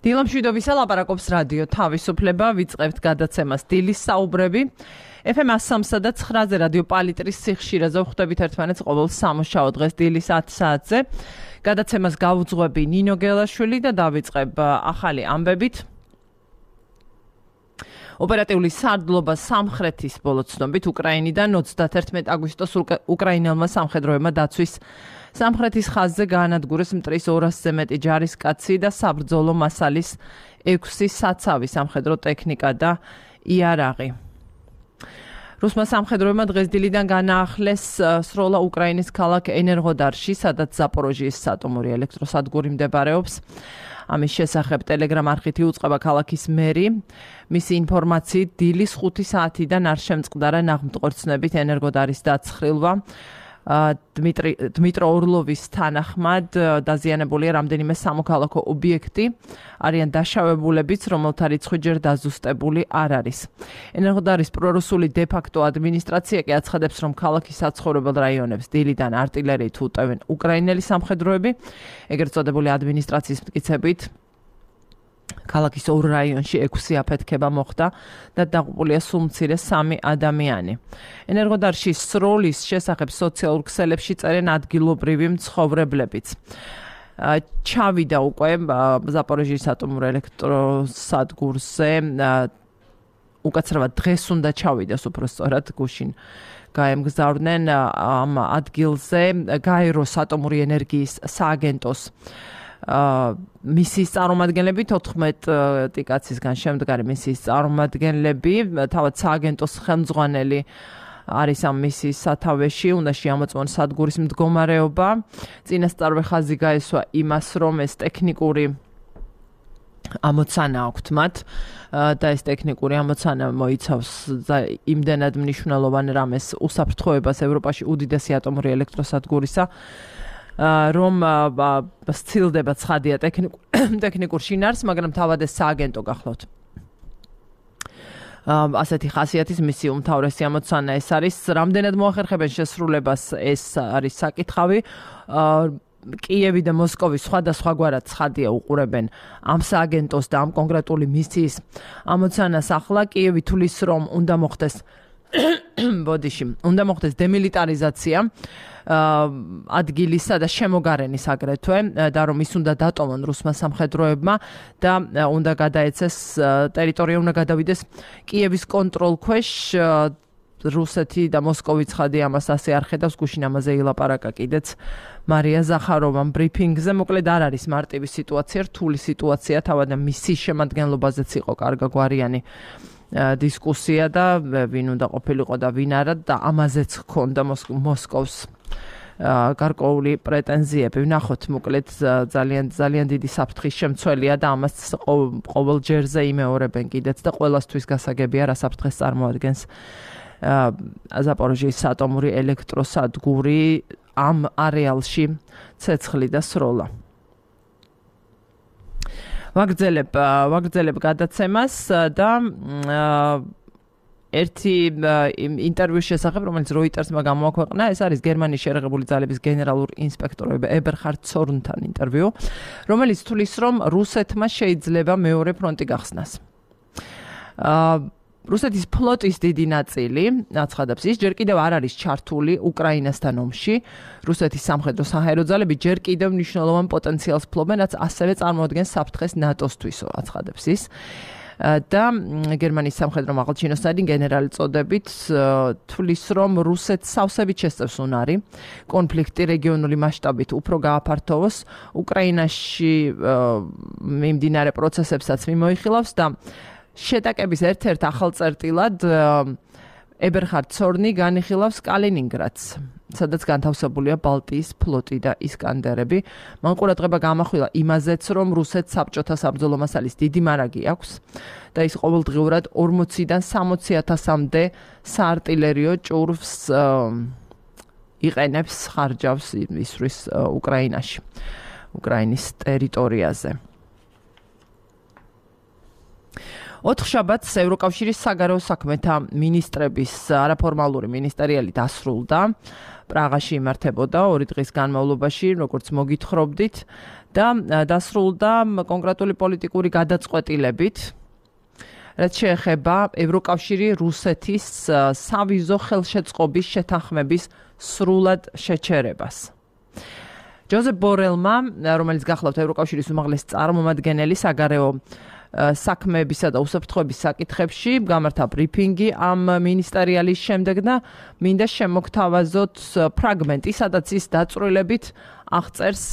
დილამშვიდობისა ლაპარაკობს რადიო თავისუფლება, ვიწყებთ გადაცემას დილის საუბრები. FM 103 და 9-ზე რადიო პალიტრის სიხშირეზე ვხვდებით ერთმანეთს ყოველ სამუშაო დღეს დილის 10 საათზე. გადაცემას გავუძღვები ნინო გელაშვილი და დავიწყებ ახალი ამბებით. ოპერატიული სარდლობა სამხრეთის ბოლო ცნობით უკრაინიდან 31 აგვისტოს უკრაინელმა სამხედროებმა დაცვის სამხრეთის ხაზზე გაანადგურეს მტრის 200-ზე მეტი ჯარისკაცი და საბრძოლო მასალის 6 საცავი სამხედრო ტექნიკა და იარაღი. რუსმა სამხედროებმა დღეს დილიდან განაახლეს სროლა უკრაინის ქალაქ ენერგოდარში, სადაც ზაპოროჟიის ატომური ელექტროსადგური მდებარეობს. ამის შესახებ ტელეგრამ არხით იუწყება ქალაქის მერი. მისი ინფორმაციით დილის 5 საათიდან არ შემწყდარა ნაღმდგორცნებით ენერგოდარის დაცხრილვა. დმიტრო ორლოვის თანახმად დაზიანებულია რამდენიმე სამოქალაქო ობიექტი, არიან დაშავებულებიც, რომელთა რიცხვი ჯერ დაზუსტებული არ არის. ენერგოდარის პრორუსული დე-ფაქტო ადმინისტრაცია კი აცხადებს, რომ ქალაქის საცხოვრებელ რაიონებს დილიდან არტილერიით უტევენ უკრაინელი სამხედროები. ეგრეთ წოდებული ადმინისტრაციის მტკიცებით ქალაქის 2 რაიონში 6 აფეთქება მოხდა და დაღუპულია სულ მცირე 3 ადამიანი. ენერგოდარში სროლის შესახებ სოციალურ ქსელებში წერენ ადგილობრივი მცხოვრებლებიც. ჩავიდა უკვე ზაპოროჟიის ატომურ ელექტროსადგურზე, უკაცრავად დღეს უნდა ჩავიდეს უბრალოდ გუშინ გაემგზავრნენ ამ ადგილზე გაეროს ატომური ენერგიის სააგენტოს მისიის წარმომადგენლები 14 კაცისგან შემდგარი მისიის წარმომადგენლები, თავად სააგენტოს ხელმძღვანელი არის ამ მისიის სათავეში, უნდა შეამოწმონ სადგურის მდგომარეობა. წინასწარვე ხაზი გაესვა იმას, რომ ეს ტექნიკური ამოცანა აქვთ მათ და ეს ტექნიკური ამოცანა მოიცავს იმდენად მნიშვნელოვან რამეს უსაფრთხოებას ევროპაში უდიდესი ატომური ელექტროსადგურისა, რომ სცილდება ცხადია ტექნიკურ შინაარსს, მაგრამ თავად ეს სააგენტო გახლავთ. ასეთი ხასიათის მისი უმთავრესი ამოცანა ეს არის, რამდენად მოახერხებენ შესრულებას, ეს არის საკითხავი. კიევი და მოსკოვი სხვადასხვაგვარად ცხადია უყურებენ ამ სააგენტოს და ამ კონკრეტული მისიის ამოცანას. ახლა კიევი თulis რომ უნდა მოხდეს დემილიტარიზაცია ადგილისა და შემოგარენის აგრეთვე და რომ ის უნდა დატოვონ რუსმა სამხედროებმა და უნდა გადაეცეს ტერიტორია უნდა გადავიდეს კიევის კონტროლქვეშ. რუსეთი და მოსკოვი ცხადი ამას ასე არ ხედავს, გუშინ ამაზე ილაპარაკა კიდეც მარია ზახაროვამ ბრიფინგზე. მოკლედ არ არის მარტივი სიტუაცია, რთული სიტუაცია, თავად მისის შემადგენლობაზეც იყო კარგაგვარიანი დისკუსია და ვინ უნდა ყოფილიყო და ვინ არა და ამაზეც ჰქონდა მოსკოვს გარკვეული პრეტენზიები. ვნახოთ, მოკლედ ძალიან დიდი საფრთხის შემცველია და ამას ყოველ ჯერზე იმეორებენ კიდეც და ყველასთვის გასაგებია რა საფრთხეს წარმოადგენს ზაპოროჟიის ატომური ელექტროსადგური ამ არეალში ცეცხლი და სროლა. ვაგრძელებ გადაცემას და ერთი ინტერვიუს შესახებ, რომელიც როიტერსმა გამოაქვეყნა, ეს არის გერმანიის შერეღებული ძალების გენერალურ ინსპექტორ ებერხარდ ცორნთან ინტერვიუ, რომელიც თulis რომ რუსეთმა შეიძლება მეორე ფრონტი გახსნას. რუსეთის ფლოტის დიდი ნაწილი, აცხადებს ის, ჯერ კიდევ არ არის ჩართული უკრაინასთან ომში. რუსეთის სამხედრო საჰაერო ძალები ჯერ კიდევ მნიშვნელოვან პოტენციალს ფლობენ, რაც ასევე წარმოადგენს საფრთხეს ნატოსთვის, აცხადებს ის. და გერმანიის სამხედრო მაღალჩინოსანი გენერალი წოდებით თulis რომ რუსეთს სავსებით შესწევს უნარი კონფლიქტი რეგიონული მასშტაბით უფრო გააფართოვოს, უკრაინაში მიმდინარე პროცესებსაც მიმოიხილავს და შეტაკების ერთ-ერთ ახალ წერტილად ებერხარდ ცორნი განიხილავს კალინინგრადს, სადაც განთავსებულია ბალტიის ფლოტი და ისკანდერები. მან ყურადღება გამახვილა იმაზეც, რომ რუსეთს საბჭოთა საბრძოლო მასალის დიდი მარაგი აქვს და ის ყოველდღიურად 40-დან 60,000-მდე საარტილერიო ჭურვს იყენებს, ხარჯავს ისვრის უკრაინაში, უკრაინის ტერიტორიაზე. 4 შაბათს ევროკავშირის საგარეო საქმეთა მინისტრების არაფორმალური მინისტერიალი დასრულდა. პრაღაში იმართებოდა 2 დღის განმავლობაში, როგორც მოგითხრობდით და დასრულდა კონკრეტული პოლიტიკური გადაწყვეტილებით, რაც შეეხება ევროკავშირი რუსეთის სავიზო ხელშეწყობის შეთანხმების სრულად შეჩერებას. ჯოზეფ ბორელმა, რომელიც გახლავთ ევროკავშირის უმაღლესი წარმომადგენელი საგარეო საქმეებისა და უსაფრთხოების საკითხებში, გამართა ბრიფინგი ამ მინისტერიალის შემდეგ და მინდა შემოგთავაზოთ ფრაგმენტი, სადაც ის დაწვრილებით აღწერს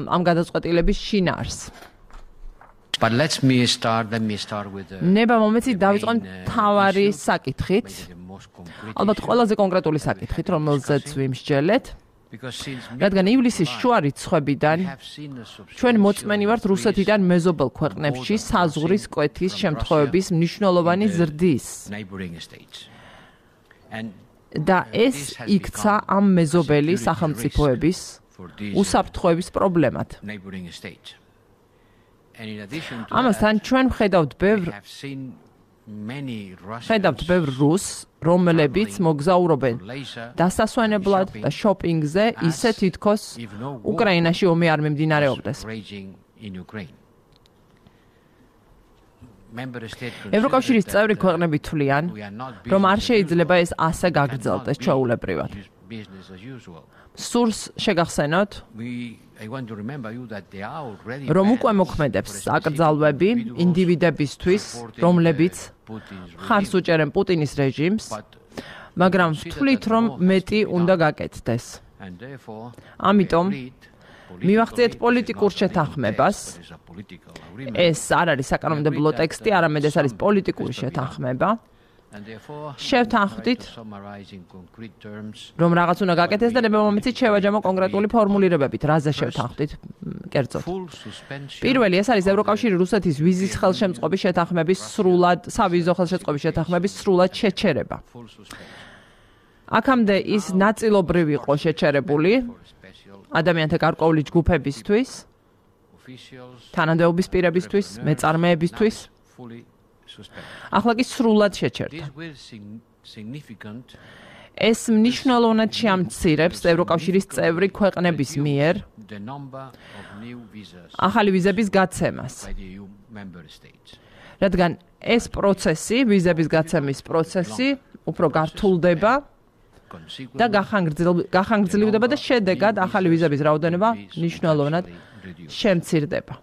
ამ გადაწყვეტილების შინაარსს. But let me start with ნება მომეცით დავიწყო მთავარი საკითხით. ალბათ ყველაზე კონკრეტული საკითხით, რომელზეც ვიმსჯელეთ. რადგან ივლისის შუა რიცხვებიდან ჩვენ მოწმენი ვართ რუსეთიდან მეზობელ ქვეყნებში საზღვრის კვეთის შემთხვევების მნიშვნელოვანი ზრდის. და ეს იქცა ამ მეზობელი სახელმწიფოების უსაფრთხოების პრობლემად. ამასთან ჩვენ ვხედავთ ბევრ რუსს, რომლებიც მოგზაურობენ დასასვენებლად და შოპინგზე, ისე თითქოს უკრაინაში ომი არ მიმდინარეობდეს. ევროკავშირის წევრი ქვეყნები თვლიან, რომ არ შეიძლება ეს ასე გაგრძელდეს ჩვეულებრივად. სურს შეგახსენოთ, რომ უკვე მოქმედებს აკრძალვები ინდივიდებისთვის, რომლებიც ხარს უჭერენ პუტინის რეჟიმს, მაგრამ ვთვლით, რომ მეტი უნდა გაკეთდეს. ამიტომ მივახციეთ პოლიტიკურ შეთანხმებას. ეს არ არის საკანონმდებლო ტექსტი, არამედ ეს არის პოლიტიკური შეთანხმება. შევთანხმდით, რომ რაღაც უნდა გაკეთდეს და ნება მომეცით შევაჯამო კონკრეტული ფორმულირებებით, რაზე შევთანხმდით, კერძოდ. პირველი, ეს არის ევროკავშირი რუსეთის ვიზის ხელშემწყობის შეთანხმების სავიზო ხელშეწყობის შეთანხმების სრულად შეჩერება. აქამდე ის ნაწილობრივ იყო შეჩერებული ადამიანთა გარკვეული ჯგუფებისთვის, თანამდებობის პირებისთვის, მეწარმეებისთვის. ახლა კი სრულად შეჩერდა. ეს მნიშვნელოვნად შეამცირებს ევროკავშირის წევრი ქვეყნების მიერ ახალი ვიზების გაცემას. რადგან ეს პროცესი, ვიზების გაცემის პროცესი, უფრო გართულდება და გახანგრძლივდება და შედეგად ახალი ვიზების რაოდენობა მნიშვნელოვნად შემცირდება.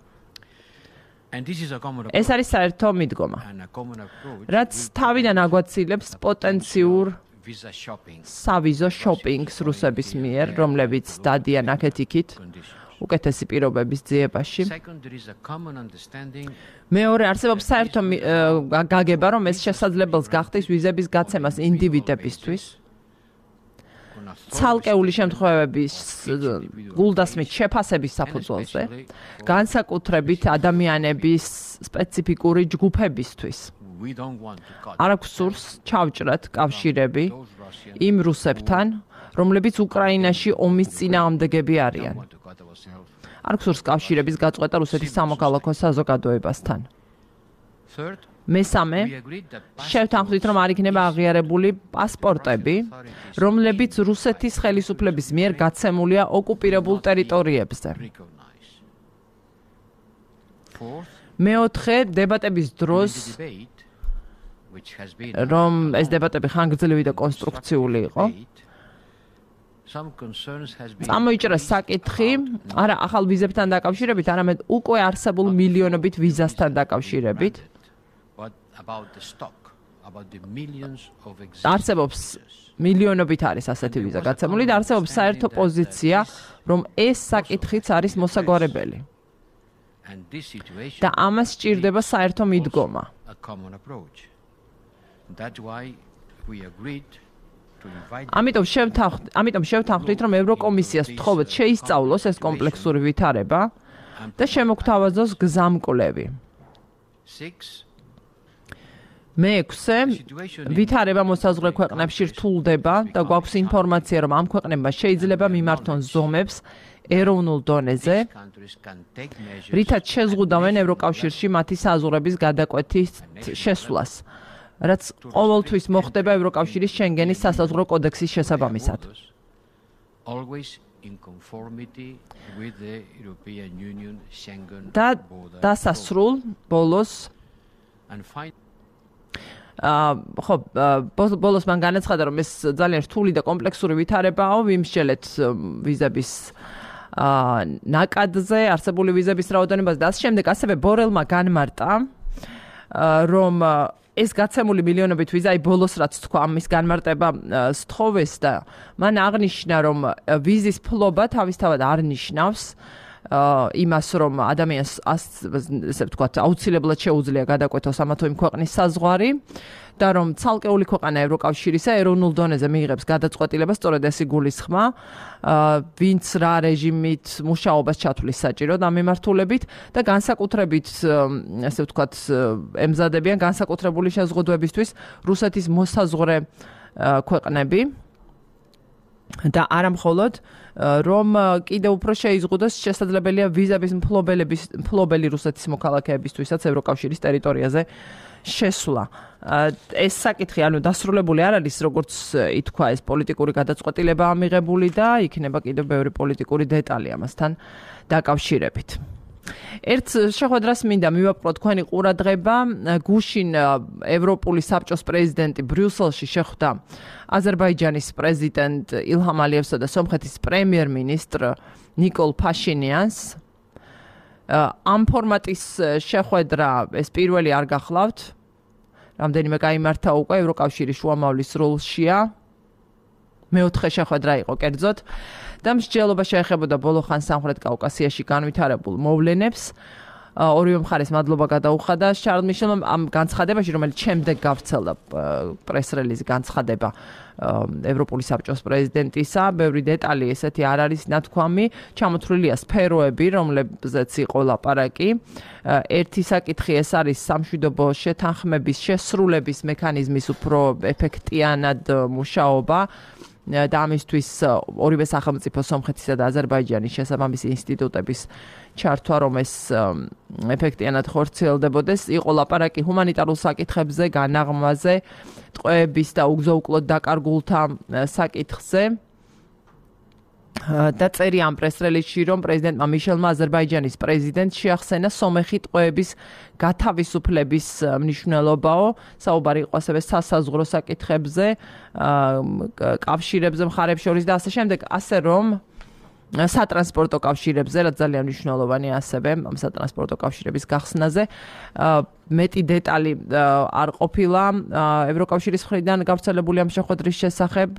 ეს არის საერთო მიდგომა, რაც თავიდან აგვაცილებს პოტენციურ სავიზო შოპინგს რუსების მიერ, რომლებიც დადიან აქეთ-იქით უკეთესი პირობების ძიებაში. მეორე, არსებობს საერთო გაგება, რომ ეს შესაძლებელს გახდეს ვიზების გაცემას ინდივიდებისთვის. ცალკეული შემთხვევების გულდასმით შეფასების საფუძველზე, განსაკუთრებით ადამიანების სპეციფიკური ჯგუფებისთვის. არ აქვს სურს ჩავჭრათ კავშირები იმ რუსებთან, რომლებიც უკრაინაში ომის წინააღმდეგები არიან. არ აქვს სურს კავშირების გაწყვეტა რუსეთის სამოქალაქო საზოგადოებასთან. მესამე, შევთანხმდით, რომ არ იქნება აღიარებული პასპორტები, რომლებიც რუსეთის ხელისუფლების მიერ გაცემულია ოკუპირებულ ტერიტორიებზე. მეოთხე, დებატების დროს, რომ ეს დებატები ხანგრძლივი და კონსტრუქციული იყო, წამოიჭრა საკითხი, არა ახალ ვიზებთან დაკავშირებით, არამედ უკვე არსებულ მილიონობით ვიზასთან დაკავშირებით. არსებობს მილიონობით არის ასეთი ვიზა გაცემული და არსებობს საერთო პოზიცია, რომ ეს საკითხიც არის მოსაგვარებელი. და ამას სჭირდება საერთო მიდგომა. ამიტომ შევთანხმდით, რომ ევროკომისიას ვთხოვოთ შეისწავლოს ეს კომპლექსური ვითარება და შემოგთავაზოს გზამკვლევი. მეექვსე, ვითარება მოსაზღვრე ქვეყნებში რთულდება და გვაქვს ინფორმაცია, რომ ამ ქვეყნებმა შეიძლება მიმართონ ზომებს ეროვნულ დონეზე, რითაც შეზღუდავენ ევროკავშირში მათი საზღვრების გადაკვეთის შესვლას, რაც ყოველთვის მოხდება ევროკავშირის შენგენის სასაზღვრო კოდექსის შესაბამისად. always in conformity with the European Union Schengen border. დასასრულ ბოლოს And finally ხო ბოლოს მან განაცხადა რომ ეს ძალიან რთული და კომპლექსური ვითარებაა ვიმსჯელეთ ვიზების ნაკადზე არსებული ვიზების რაოდენობაზე და ამ შემდეგ ასევე ბორელმა განმარტა რომ ეს გაცემული მილიონობით ვიზა ბოლოს რაც თქვა ამის განმარტება სთხოვეს და მან აღნიშნა რომ ვიზის ფლობა თავისთავად არ ნიშნავს იმას რომ ადამიანს ესე ვთქვათ აუცილებლად შეუძლია გადაკვეთოს ამა თუ იმ ქვეყნის საზღვარი და რომ ცალკეული ქვეყანა ევროკავშირისა ეროვნულ დონეზე მიიღებს გადაწყვეტილებას სწორედ ეს იგულისხმა ვინც რა რეჟიმით მუშაობას ჩათვლის საჭიროდ ამ მიმართულებით და განსაკუთრებით ესე ვთქვათ ემზადებიან განსაკუთრებული შეზღუდვებისთვის რუსეთის მოსაზღვრე ქვეყნები და არა მხოლოდ რომ კიდევ უფრო შეიზღუდოს შესაძლებელია ვიზების მფლობელი რუსეთის მოქალაქეებისთვისაც ევროკავშირის ტერიტორიაზე შესვლა. ეს საკითხი ანუ დასრულებული არ არის როგორც ითქვა ეს პოლიტიკური გადაწყვეტილებაა მიღებული და იქნება კიდევ ბევრი პოლიტიკური დეტალი ამასთან დაკავშირებით. ერთ შეხვედრას მინდა მივაპყროთ თქვენი ყურადღება გუშინ ევროპული საბჭოს პრეზიდენტი ბრიუსელში შეხვდა აზერბაიჯანის პრეზიდენტ ილჰამ ალიევსა და სომხეთის პრემიერ-მინისტრ ნიკოლ ფაშინიანს ამ ფორმატის შეხვედრა ეს პირველი არ გახლავთ რამდენიმე გაიმართა უკვე ევროკავშირის შუამავლის სრულშია მეოთხე შეხვედრა იყო კერძოდ და მსჯელობა შეეხებოდა ბოლო ხანს სამხრეთ კავკასიაში განვითარებულ მოვლენებს ორივე მხარეს მადლობა გადაუხადა შარლ მიშელმა ამ განცხადებაში რომელიც შემდეგ გავრცელდა პრეს-რელიზი განცხადება ევროპული საბჭოს პრეზიდენტისა ბევრი დეტალი ესეთი არ არის ნათქვამი ჩამოთვლილია სფეროები რომლებზეც იყო ლაპარაკი ერთი საკითხი ეს არის სამშვიდობო შეთანხმების შესრულების მექანიზმის უფრო ეფექტიანად მუშაობა და ამისთვის ორივე სახელმწიფო სომხეთისა და აზერბაიჯანის შესაბამისი ინსტიტუტების ჩართვა რომ ეს ეფექტიანად ხორციელდებოდეს იყო ლაპარაკი ჰუმანიტარულ საკითხებზე განაღმაზე ტყვეების და უგზო-უკლოდ დაკარგულთა საკითხზე და წერია ამ პრეს-რელიზში რომ პრეზიდენტმა მიშელმა აზერბაიჯანის პრეზიდენტს შეახსენა სომეხი ტყვეების გათავისუფლების მნიშვნელობაო საუბარი იყო ასევე სასაზღვრო საკითხებზე კავშირებზე მხარებს შორის და ასე შემდეგ ასე რომ სატრანსპორტო კავშირებზე რაც ძალიან მნიშვნელოვანია ასევე ამ სატრანსპორტო კავშირების გახსნაზე მეტი დეტალი არ ყოფილა ევროკავშირის მხრიდან გავრცელებული ამ შეხვედრის შესახებ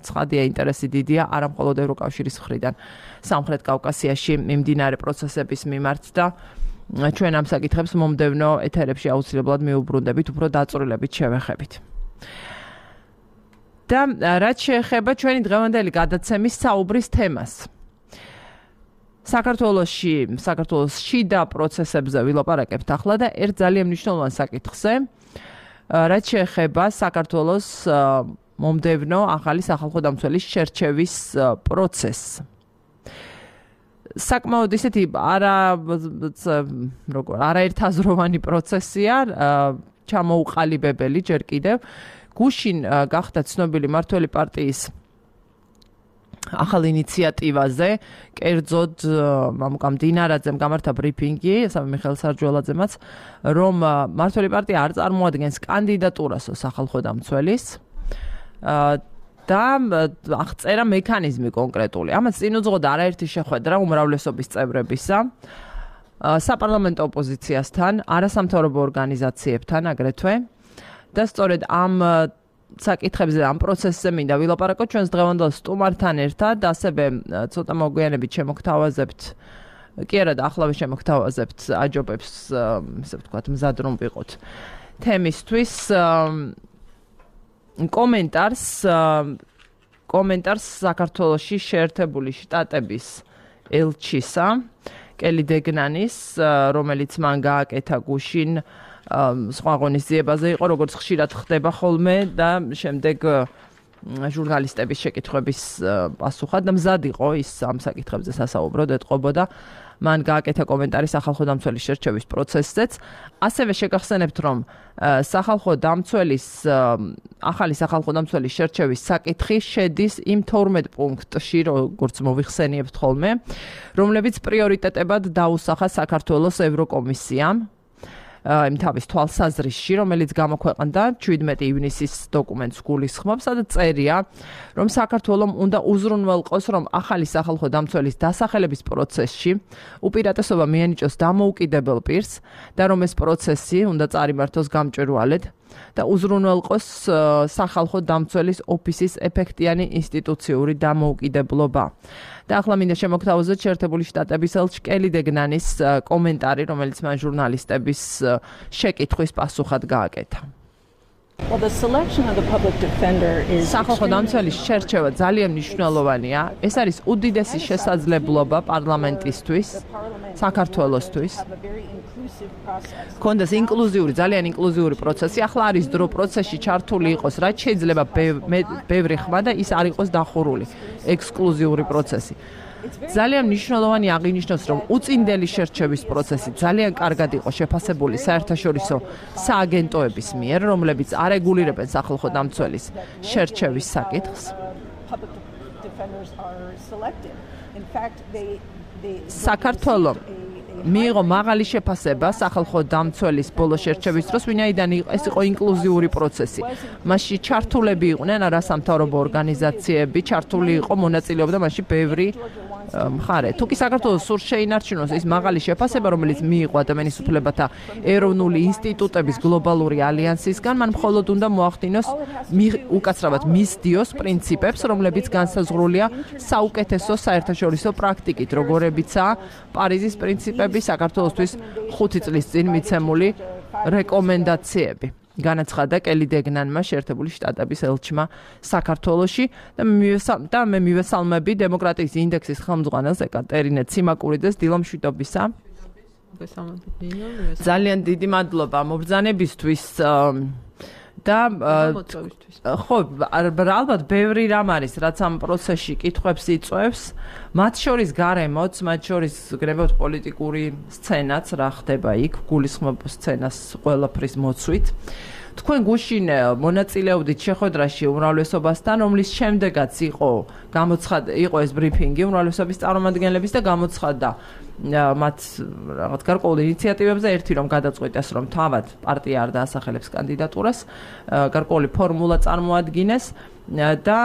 ცხადია ინტერესი დიდია არა მხოლოდ ევროკავშირის მხრიდან სამხრეთ კავკასიაში მიმდინარე პროცესების მიმართ და ჩვენ ამ საკითხებს მომდევნო ეთერებში აუცილებლად მიუბრუნდებით უფრო დაწვრილებით შევეხებით და რაც შეეხება ჩვენი დღევანდელი გადაცემის საუბრის თემას საქართველოს შიდა პროცესებზე ვილაპარაკებთ ახლა და ერთ ძალიან მნიშვნელოვან საკითხზე რაც შეეხება საქართველოს მომდევნო ახალი სახალხო დამცველის შერჩევის პროცესს საკმაოდ ისეთი არაერთაზროვანი პროცესია ჩამოუყალიბებელი ჯერ კიდევ გუშინ გახდა ცნობილი მართველი პარტიის ახალ ინიციატივაზე კერძოდ მამუკამ დინარაძემ გამართა ბრიფინგი სამი მიხეილ სარჯველაძემაც რომ მართველი პარტია არ წარმოადგენს კანდიდატურას სახალხო დამცველის და აღწერა მექანიზმი კონკრეტული ამას წინ უძღოდა არაერთი შეხვედრა უმრავლესობის წევრებისა საპარლამენტო ოპოზიციასთან არასამთავრობო ორგანიზაციებთან აგრეთვე და სწორედ ამ საკითხებზე ამ პროცესზე მინდა ვილაპარაკოთ ჩვენს დღევანდელ სტუმართან ერთად ასევე ცოტა მოგვიანებით შემოგთავაზებთ კი არა და ახლავე შემოგთავაზებთ აჯობებს ესე ვთქვათ მზად რომ ვიყოთ თემისთვის კომენტარს საქართველოში შეერთებული შტატების ელჩისა კელი დეგნანის რომელიც მან გააკეთა გუშინ სხვა ღონისძიებაზე იყო როგორც ხშირად ხდება ხოლმე და შემდეგ ჟურნალისტების შეკითხვების პასუხად და მზად იყო ის ამ საკითხებზე სასაუბროდ ეტყობოდა. მან გააკეთა კომენტარი სახალხო დამცველის შერჩევის პროცესზეც. ასევე შეგახსენებთ, რომ ახალი სახალხო დამცველის შერჩევის საკითხი შედის იმ 12 პუნქტში, როგორც მოვიხსენიებთ ხოლმე, რომლებიც პრიორიტეტებად დაუსახა საქართველოს ევროკომისიამ. იმ თავის თვალსაზრისში, რომელიც გამოქვეყნდა 17 ივნისის დოკუმენტს გულისხმობს, სადაც წერია, რომ საქართველომ უნდა უზრუნველყოს, რომ ახალი სახალხო დამცველის დასახელების პროცესში უპირატესობა მიენიჭოს დამოუკიდებელ პირს და რომ ეს პროცესი უნდა წარიმართოს გამჭვირვალედ და უზრუნველყოს სახალხო დამცველის ოფისის ეფექტიანი ინსტიტუციური დამოუკიდებლობა. და ახლა მინდა შემოგთავაზოთ შეერთებული შტატების ელჩ კელი დეგნანის კომენტარი, რომელიც მან ჟურნალისტების შეკითხვის პასუხად გააკეთა. Well, the selection of the public defender is სახალხო დამცველის შერჩევა ძალიან მნიშვნელოვანია. ეს არის უდიდესი შესაძლებლობა პარლამენტისთვის, საქართველოსთვის. კონდეს ძალიან ინკლუზიური პროცესი. ახლა არის დრო პროცესში ჩართული იყოს, რაც შეიძლება ბევრი ხმა და ის არ იყოს დახურული ექსკლუზიური პროცესი. ძალიან მნიშვნელოვანი აღინიშნოს, რომ უწინდელი შერჩევის პროცესი ძალიან კარგად იყო შეფასებული საერთაშორისო სააგენტოების მიერ, რომლებიც არეგულირებენ სახალხო დამცველის შერჩევის საკითხს. საქართველოს მიიღო მაღალი შეფასება სახალხო დამცველის ბოლო შერჩევის დროს, ვინაიდან ეს იყო ინკლუზიური პროცესი. მასში ჩართულები იყვნენ არასამთავრობო ორგანიზაციები, ჩართული იყო მონაწილეობდა მასში ბევრი მხარე. თუ კი საქართველოს სურს შეინარჩუნოს ის მაღალი შეფასება, რომელიც მიიღო ადამიანის უფლებათა ეროვნული ინსტიტუტების გლობალური ალიანსისგან, მან მხოლოდ უნდა მოახდინოს უკაცრავად მისდიოს პრინციპებს, რომლებიც განსაზღვრულია საუკეთესო საერთაშორისო პრაქტიკით, როგორებიცაა პარიზის პრინციპები, საქართველოსთვის 5 წლის წინ მიცემული რეკომენდაციები. განაცხადა კელი დეგნანმა შეერთებული შტატების ელჩმა საქართველოში და მე მივესალმები დემოკრატიის ინდექსის ხელმძღვანელს ეკატერინე ციმაკურიძეს დილომშვიდობისა. ძალიან დიდი მადლობა მობრძანებისთვის და ხო, ალბათ ბევრი რამ არის, რაც ამ პროცესში კითხვებს იწვევს, მათ შორის გარემოც, მათ შორის გრებავთ პოლიტიკური სცენაც, რა ხდება იქ, გულისხმობ სცენას ყველაფრის მოცვით. თქვენ გუშინ მონაწილეობდით შეხვედრაში უმრავლესობასთან, რომლის შემდეგაც იყო ეს ბრიფინგი უმრავლესობის წარმომადგენლების და გამოცხადდა მათ რაღაც გარკვეულ ინიციატივებზე ერთი რომ გადაწყვიტეს, რომ თავად პარტია არ დაასახელებს კანდიდატურას, გარკვეული ფორმულა წარმოადგინეს და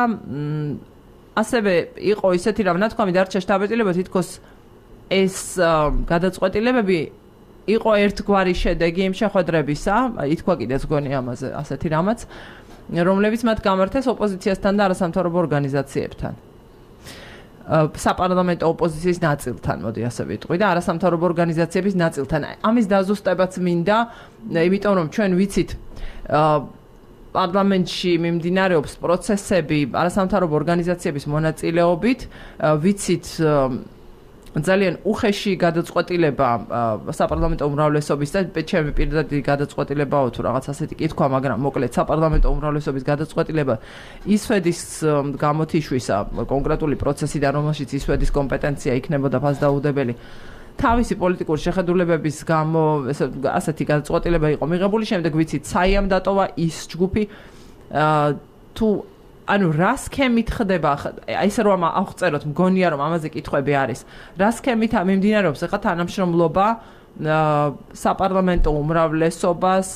ასევე იყო ისეთი რა ნათქვამი დარჩა შტაბ-ეტილებად, თითქოს ეს გადაწყვეტილებები იყო ერთგვარი შედეგი იმ შეხვედრებისა, ითქვა კიდეც გონი ამაზე ასეთი რამაც, რომლებიც მათ გამართეს ოპოზიციასთან და არასამთავრობო ორგანიზაციებთან. საპარლამენტო ოპოზიციის ნაწილთან, მოდი ასე ვიტყვი და არასამთავრობო ორგანიზაციების ნაწილთან. ამის დაზუსტებაც მინდა, იმიტომ რომ ჩვენ ვიცით პარლამენტში მიმდინარეობს პროცესები არასამთავრობო ორგანიზაციების მონაწილეობით, ვიცით ძალიან უხეში გადაწყვეტილება საპარლამენტო უმრავლესობის და ჩემი პირდადი გადაწყვეტილებაა თუ რაღაც ასეთი კითხვა, მაგრამ მოკლედ საპარლამენტო უმრავლესობის გადაწყვეტილება ისვედის გამოთიშვისა კონკრეტული პროცესიდან, რომელშიც ისვედის კომპეტენცია იქნებოდა ფასდაუდებელი. თავისი პოლიტიკური შეხედულებების გამო ასეთი გადაწყვეტილება იყო მიღებული, შემდეგ ვიცით საიამ დატოვა ის ჯგუფი თუ ანუ რა სქემით ხდება, ესე რომ აღწეროთ, მგონია რომ ამაზე კითხვები არის. რა სქემით მიმდინარეობს ახლა თანამშრომლობა საპარლამენტო უმრავლესობას,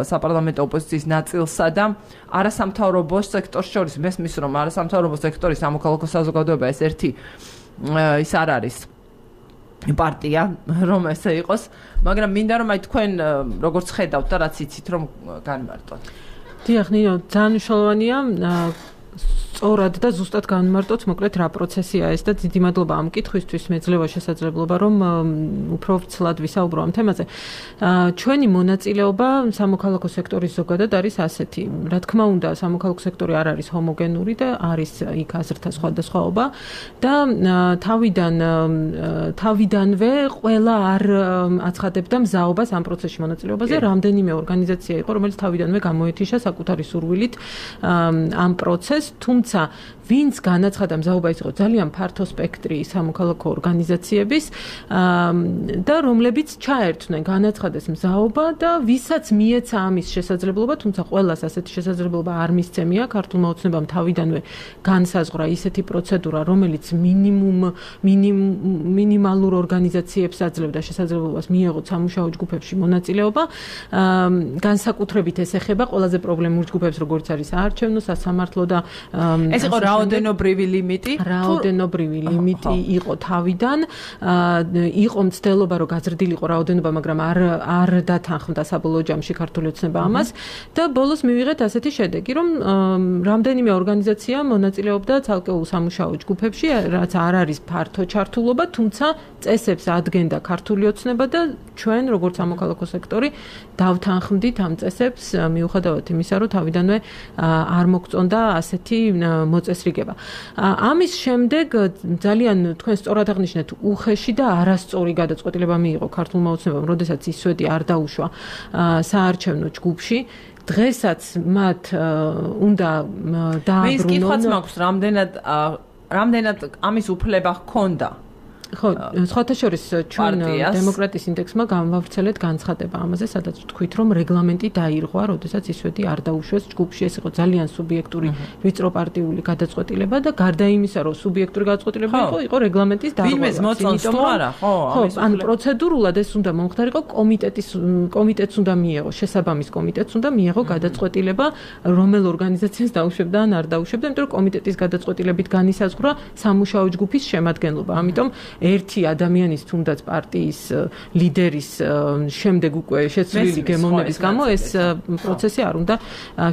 საპარლამენტო ოპოზიციის ნაწილსა და არასამთავრობო სექტორს შორის. მესმის რომ არასამთავრობო სექტორის სამოქალაქო საზოგადოება ეს ერთი ის არ არის პარტია, რომ ესე იყოს, მაგრამ მინდა რომ აი თქვენ როგორც ხედავთ და რაც იცით რომ განმარტოთ. დიახ, ნინო, ძალიან მნიშვნელოვანია სწორად და ზუსტად განმარტოთ, მოკლედ რა პროცესია ეს და დიდი მადლობა ამ კითხვისთვის, მეძლევა შესაძლებლობა რომ უფრო ცლად ვისაუბრო ამ თემაზე. ჩვენი მონაწილეობა სამოქალაქო სექტორის ზოგადად არის ასეთი. Რა თქმა უნდა, სამოქალაქო სექტორი არ არის ჰომოგენური და არის იქ აზრთა სხვადასხვაობა და თავიდანვე ყველა არ აცხადებდა მზაობას ამ პროცესში მონაწილეობაზე. რამდენიმე ორგანიზაცია იყო, რომელიც თავიდანვე გამოეთიშა საკუთარი სურვილით ამ პროცესს, თუმცა ვინც განაცხადა მზაობა ის იყო ძალიან ფართო სპექტრი სამოქალაქო ორგანიზაციების და რომლებიც ჩაერთვნენ განაცხადეს მზაობა და ვისაც მიეცა ამის შესაძლებლობა, თუმცა ყველას ასეთი შესაძლებლობა არ მისცემია, ქართულმა ოცნებამ თავიდანვე განსაზღვრა ისეთი პროცედურა, რომელიც მინიმალურ ორგანიზაციებს აძლევდა შესაძლებლობას მიეღოთ სამუშაო ჯგუფებში მონაწილეობა. განსაკუთრებით ეს ეხება ყველაზე პრობლემურ ჯგუფებს, როგორც არის საარჩევნო, სასამართლო და ეს იყო რაოდენობრივი ლიმიტი? რაოდენობრივი ლიმიტი იყო თავიდან. იყო მცდელობა, რომ გაზრდილიყო რაოდენობა, მაგრამ არ დათანხმდა საბოლოო ჯამში ქართული ოცნება ამას და ბოლოს მივიღეთ ასეთი შედეგი, რომ რამდენიმე ორგანიზაცია მონაწილეობდა ცალკეულ სამუშაო ჯგუფებში, რაც არ არის ფართო ჩართულობა, თუმცა წესებს ადგენდა ქართული ოცნება და ჩვენ, როგორც სამოქალაქო სექტორი, დავთანხმდით ამ წესებს მიუხედავად იმისა, რომ თავიდანვე არ მოგწონდა ასეთი მოწესრიგება. ამის შემდეგ ძალიან თქვენ სწორად აღნიშნეთ, უხეში და არასწორი გადაწყვეტილება მიიღო ქართულმა ოცნებამ, როდესაც ისვედი არ დაუშვა საარჩევნო ჯგუფში. დღესაც მათ უნდა დააბრუნონ. მის კითხვაც მაქვს, რამდენად ამის უფლება ჰქონდა? ხო, სხვათა შორის ჩვენ დემოკრატიის ინდექსმა გამავრცელეთ განცხადება ამაზე, სადაც ვთქვით, რომ რეგლამენტი დაირღვა, როდესაც ისვედი არ დაუშვეს ჯგუფში. ეს იყო ძალიან სუბიექტური ვიწრო პარტიული გადაწყვეტილება და გარდა იმისა, რომ სუბიექტური გადაწყვეტილება იყო რეგლამენტის დარღვევა. ვინმეს მოწონს თუ არა? ხო, ან პროცედურულად ეს უნდა მომხდარიყო კომიტეტს უნდა მიეღო, შესაბამის კომიტეტს უნდა მიეღო გადაწყვეტილება, რომელ ორგანიზაციას დაუშვებდა ან არ დაუშვებდა, იმიტომ რომ კომიტეტის გადაწყვეტილებით განისაზღვრა სამუშაო ჯგუფის შემადგენლობა. ამიტომ ერთი ადამიანის თუნდაც პარტიის ლიდერის შემდეგ უკვე შეცვლილი გემოვნების გამო ეს პროცესი არ უნდა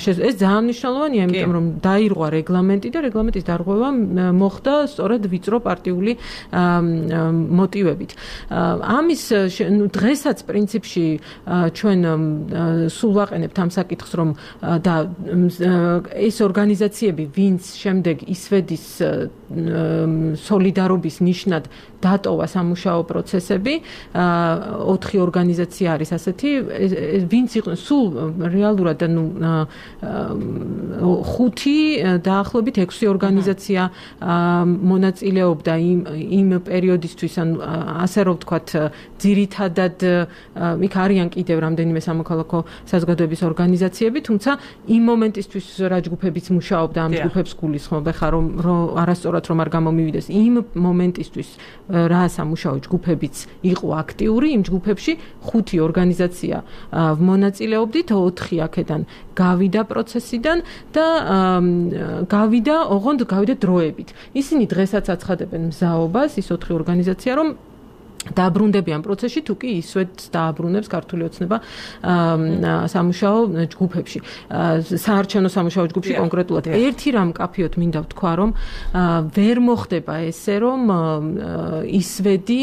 ეს ძალიან მნიშვნელოვანია, იმიტომ რომ დაირღვა რეგლამენტი და რეგლამენტის დარღვევა მოხდა სწორედ ვიწრო პარტიული მოტივებით. ამის დღესაც პრინციპში ჩვენ სულ ვაყენებთ ამ საკითხს, რომ და ეს ორგანიზაციები, ვინც შემდეგ ისვედის სოლიდარობის ნიშნად დატოვა სამუშაო პროცესები, 4 ორგანიზაცია არის ასეთი, ვინც იყო სულ რეალურად 5 დაახლოებით 6 ორგანიზაცია მონაწილეობდა იმ პერიოდისთვის, ან ასე რომ ვთქვათ, ძირითადად იქ არიან კიდევ რამდენიმე სამოქალაქო საზოგადოების ორგანიზაციები, თუმცა იმ მომენტისთვის რა ჯგუფებიც მუშაობდა, ამ ჯგუფებს გულისხმობ, ხა რომ არასწორად რომ არ გამომივიდეს, იმ მომენტისთვის რა სამუშაო ჯგუფებიც იყო აქტიური, იმ ჯგუფებში 5 ორგანიზაცია მონაწილეობდით, 4 აქედან გავიდა პროცესიდან და გავიდა დროებით. ისინი დღესაც აცხადებენ მზაობას, ის 4 ორგანიზაცია, რომ დააბრუნდებიან პროცესში, თუ კი ისვეთს დააბრუნებს ქართული ოცნება სამუშაო ჯგუფებში. საარჩევნო სამუშაო ჯგუფში კონკრეტულად ერთი რამ კაფიოთ მინდა ვთქვა, რომ ვერ მოხდება ესე, რომ ისვედი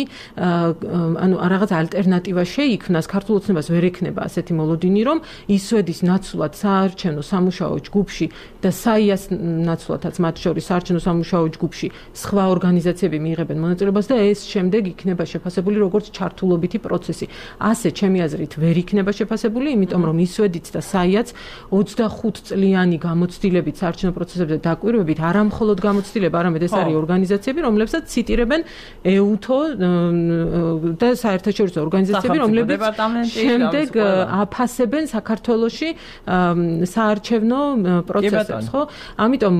ანუ რაღაც ალტერნატივა შეიქმნას, ქართულ ოცნებას ვერ ექნება ასეთი მოლოდინი, რომ ისვედის ნაცვლად საარჩევნო სამუშაო ჯგუფში და საიას ნაცვლადაც მათ შორის საარჩევნო სამუშაო ჯგუფში სხვა ორგანიზაციები მიიღებენ მონაწილეობას და ეს შემდეგ იქნება შეფასებული როგორც ჩართულობითი პროცესი. ასე ჩემი აზრით ვერ იქნება შეფასებული, იმიტომ რომ ისვედიც და საიაც 25 წლიანი გამოცდილებით საარჩევნო პროცესებზე დაკვირვებით არა მხოლოდ გამოცდილება, არამედ ეს არის ორგანიზაციები, რომლებსაც ციტირებენ EUTO და საერთაშორისო ორგანიზაციები, რომლებიც შემდეგ აფასებენ საქართველოში საარჩევნო პროცესებს, ხო? ამიტომ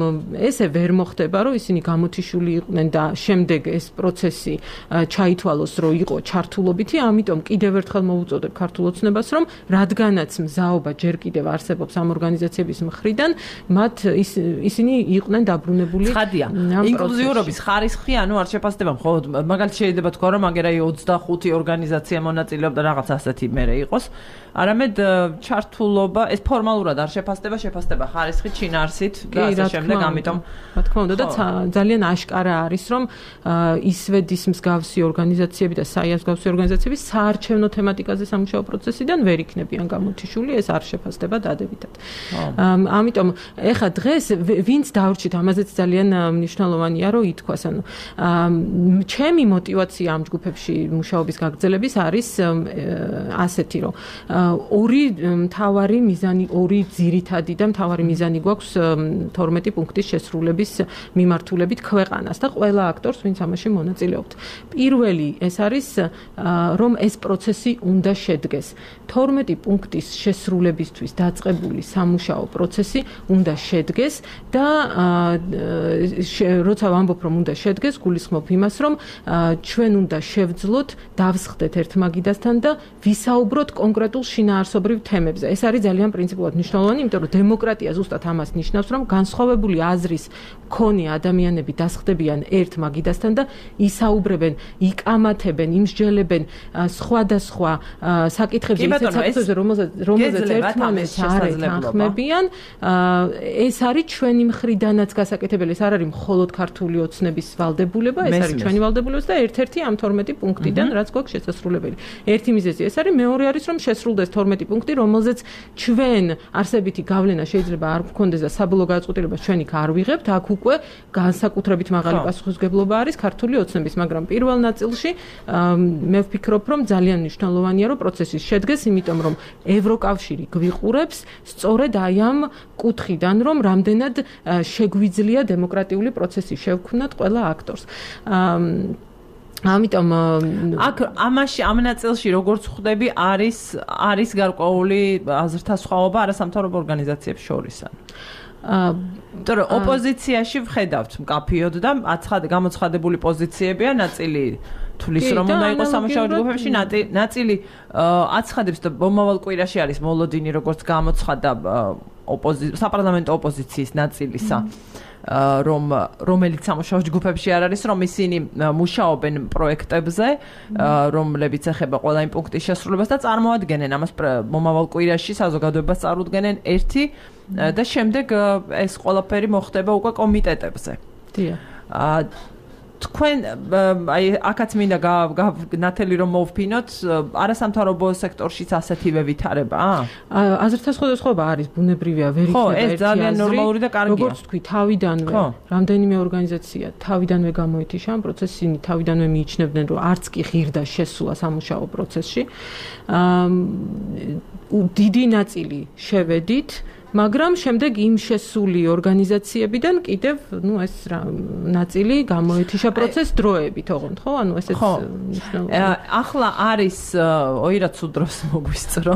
ესე ვერ მოხდება, რომ ისინი გამოთიშული იყვნენ და შემდეგ ეს პროცესი ჩაითვალოს რომ იყო ჩართულობითი, ამიტომ კიდევ ერთხელ მოვუწოდებ ქართულ ოცნებას, რომ რადგანაც მზაობა ჯერ კიდევ არსებობს ამ ორგანიზაციების მხრიდან, მათ ისინი იყვნენ დაბრუნებული. ცხადია. ინკლუზიურობის ხარისხი, ანუ არ შეფასდება მხოლოდ მაგალითად შეიძლება თქვა, რომ აგერაი 25 ორგანიზაცია მონაწილეობდა რაღაც ასეთი მერე იყოს. არამედ ჩართულობა ეს ფორმალურად არ შეფასდება ხარისხით, შინაარსით და ასე შემდეგ, ამიტომ რა თქმა უნდა და ძალიან აშკარა არის, რომ ისვედის მსგავსი ორგანიზაციები და საიას მსგავსი ორგანიზაციები საარჩევნო თემატიკაზე სამუშაო პროცესიდან ვერ იქნებიან გამოთიშული, ეს არ შეფასდება დადებითად. ამიტომ ეხა დღეს ვინც დავრჩით, ამაზეც ძალიან მნიშვნელოვანია, რომ ითქვას, ანუ ჩემი мотиваცია ამ ჯგუფებში მუშაობის გაგრძელების არის ასეთი, რომ ორი მთავარი მიზანი, ორი ძირითადი და მთავარი მიზანი გვაქვს 12 პუნქტის შესრულების მიმართულებით ქვეყანას და ყველა აქტორს, ვინც ამაში მონაწილეობთ. პირველი ეს არის, რომ ეს პროცესი უნდა შედგეს. 12 პუნქტის შესრულებისთვის დაწყებული სამუშაო პროცესი უნდა შედგეს და როცა ვამბობ, რომ უნდა შედგეს, გულისხმობ იმას, რომ ჩვენ უნდა შევძლოთ, დავსხდეთ ერთმაგიდასთან და ვისაუბროთ კონკრეტულ შინაარსობრივ თემებზე. ეს არის ძალიან პრინციპულად მნიშვნელოვანი, იმიტომ რომ დემოკრატია ზუსტად ამას ნიშნავს, რომ განსხვავებული აზრის მქონე ადამიანები დასხდებიან ერთ მაგიდასთან და ისაუბრებენ, იკამათებენ, იმსჯელებენ სხვადასხვა საკითხებზე, რომელზეც ერთმანეთს არ ეთანხმებიან. ეს არის ჩვენი მხრიდანაც გასაკეთებელი, ეს არ არის მხოლოდ ქართული ოცნების ვალდებულება, ეს არის ჩვენი ვალდებულება და ერთ-ერთი ამ 12 პუნქტიდან, რაც გვაქვს შესასრულებელი. ერთი მიზეზი ეს არის, მეორე არის, რომ შესრულდეს 12 პუნქტი, რომელზეც ჩვენ არსებითი გავლენა შეიძლება არ გვქონდეს და საბოლოო გადაწყვეტილებას ჩვენ იქ არ ვიღებთ, აქ უკვე განსაკუთრებით მაღალი პასუხისმგებლობა არის ქართული ოცნების, მაგრამ პირველ ნაწილში მე ვფიქრობ, რომ ძალიან მნიშვნელოვანია, რომ პროცესი შედგეს, იმიტომ რომ ევროკავშირი გვიყურებს სწორედ აი ამ კუთხიდან, რომ რამდენად შეგვიძლია დემოკრატიული პროცესი შევქმნათ ყველა აქტორს. ამიტომ აქ ამაში ამ ნაწილში როგორც ხვდები არის გარკვეული აზრთა სხვაობა არასამთავრობო ორგანიზაციებს შორის. თორე ოპოზიციაში ვხედავთ მკაფიოდ და გამოცხადებული პოზიციებია, ნაწილი თulis რომ უნდა იყოს სამუშაო ჯგუფებში, ნაწილი აცხადებს და მომავალ კვირაში არის მოლოდინი, როგორც გამოცხადა საპარლამენტო ოპოზიციის ნაწილისა. რომელიც სამუშაო ჯგუფებში არ არის, რომ ისინი მუშაობენ პროექტებზე, რომლებიც ეხება ყველა იმ პუნქტის შესრულებას და წარმოადგენენ ამას მომავალ კვირაში საზოგადოებას წარუდგენენ ერთი და შემდეგ ეს ყველაფერი მოხდება უკვე კომიტეტებზე. დიახ. თქვენ აი აქაც მინდა ნათელი რომ მოვფინოთ, არასამთავრობო სექტორშიც ასეთივე ვითარებაა? აზრთა სხვადასხვაობა არის, ბუნებრივია, ვერ იქნება ერთი აზრი. ეს ძალიან ნორმალური და კარგია. როგორც თქვი, თავიდანვე რამდენიმე ორგანიზაცია თავიდანვე გამოეთიშა ამ პროცესს, ისინი თავიდანვე მიიჩნევდნენ, რომ არც კი ღირდა შესულა სამუშაო პროცესში. დიდი ნაწილი შევედით, მაგრამ შემდეგ იმ შესული ორგანიზაციებიდან კიდევ, ეს ნაწილი გამოეთიშა პროცესს დროებით, ოღონდ, ხო? ანუ ესეც მნიშვნელოვანია. ახლა არის ოირად სუდროს მოგვისწრო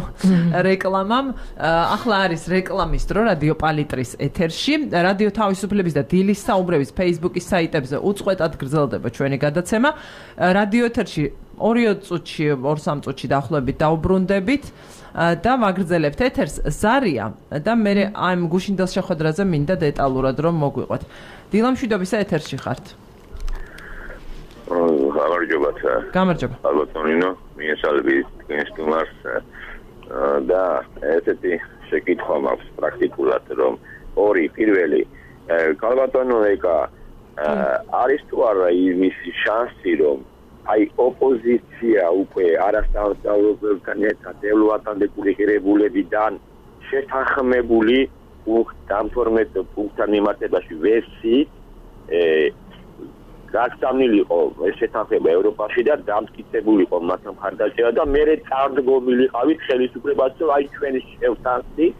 რეკლამამ. ახლა არის რეკლამის დრო რადიო პალიტრის ეთერში. რადიო თავისუფლების და დილის საუბრების Facebook-ის საიტებზე უწყვეტად გრძელდება ჩვენი გადაცემა. რადიო ეთერში 2 წუთში, 2-3 წუთში დაახლოებით დაუბრუნდებით. და ვაგრძელებთ ეთერს ზარია და მე ამ გუშინდელ შეხვედრაზე მინდა დეტალურად რომ მოგვიყვეთ. დილამშვიდობისა ეთერში ხართ. გამარჯობათ. გამარჯობა. ალბათონინო, მიესალმებით გენსტუმარს და ესეთი შეკითხვა მაქვს პრაქტიკულად, რომ პირველი ალბათონო ეკა არის თუ არა იმის შანსი, რომ აი ოპოზიცია უკვე არასამთავრობოებთან ერთად ევლოატანდებული ღირებულებიდან შეთანხმებული ამ 12 პუნქტთან მიმართებაში ვერსიით გაგზავნილიყო ეს შეთანხმება ევროპაში და დამტკიცებულიყო მათ მხარდაჭერა და მერე წარდგომილიყავით ხელისუფლებას, რომ აი ჩვენი შევთანხმდით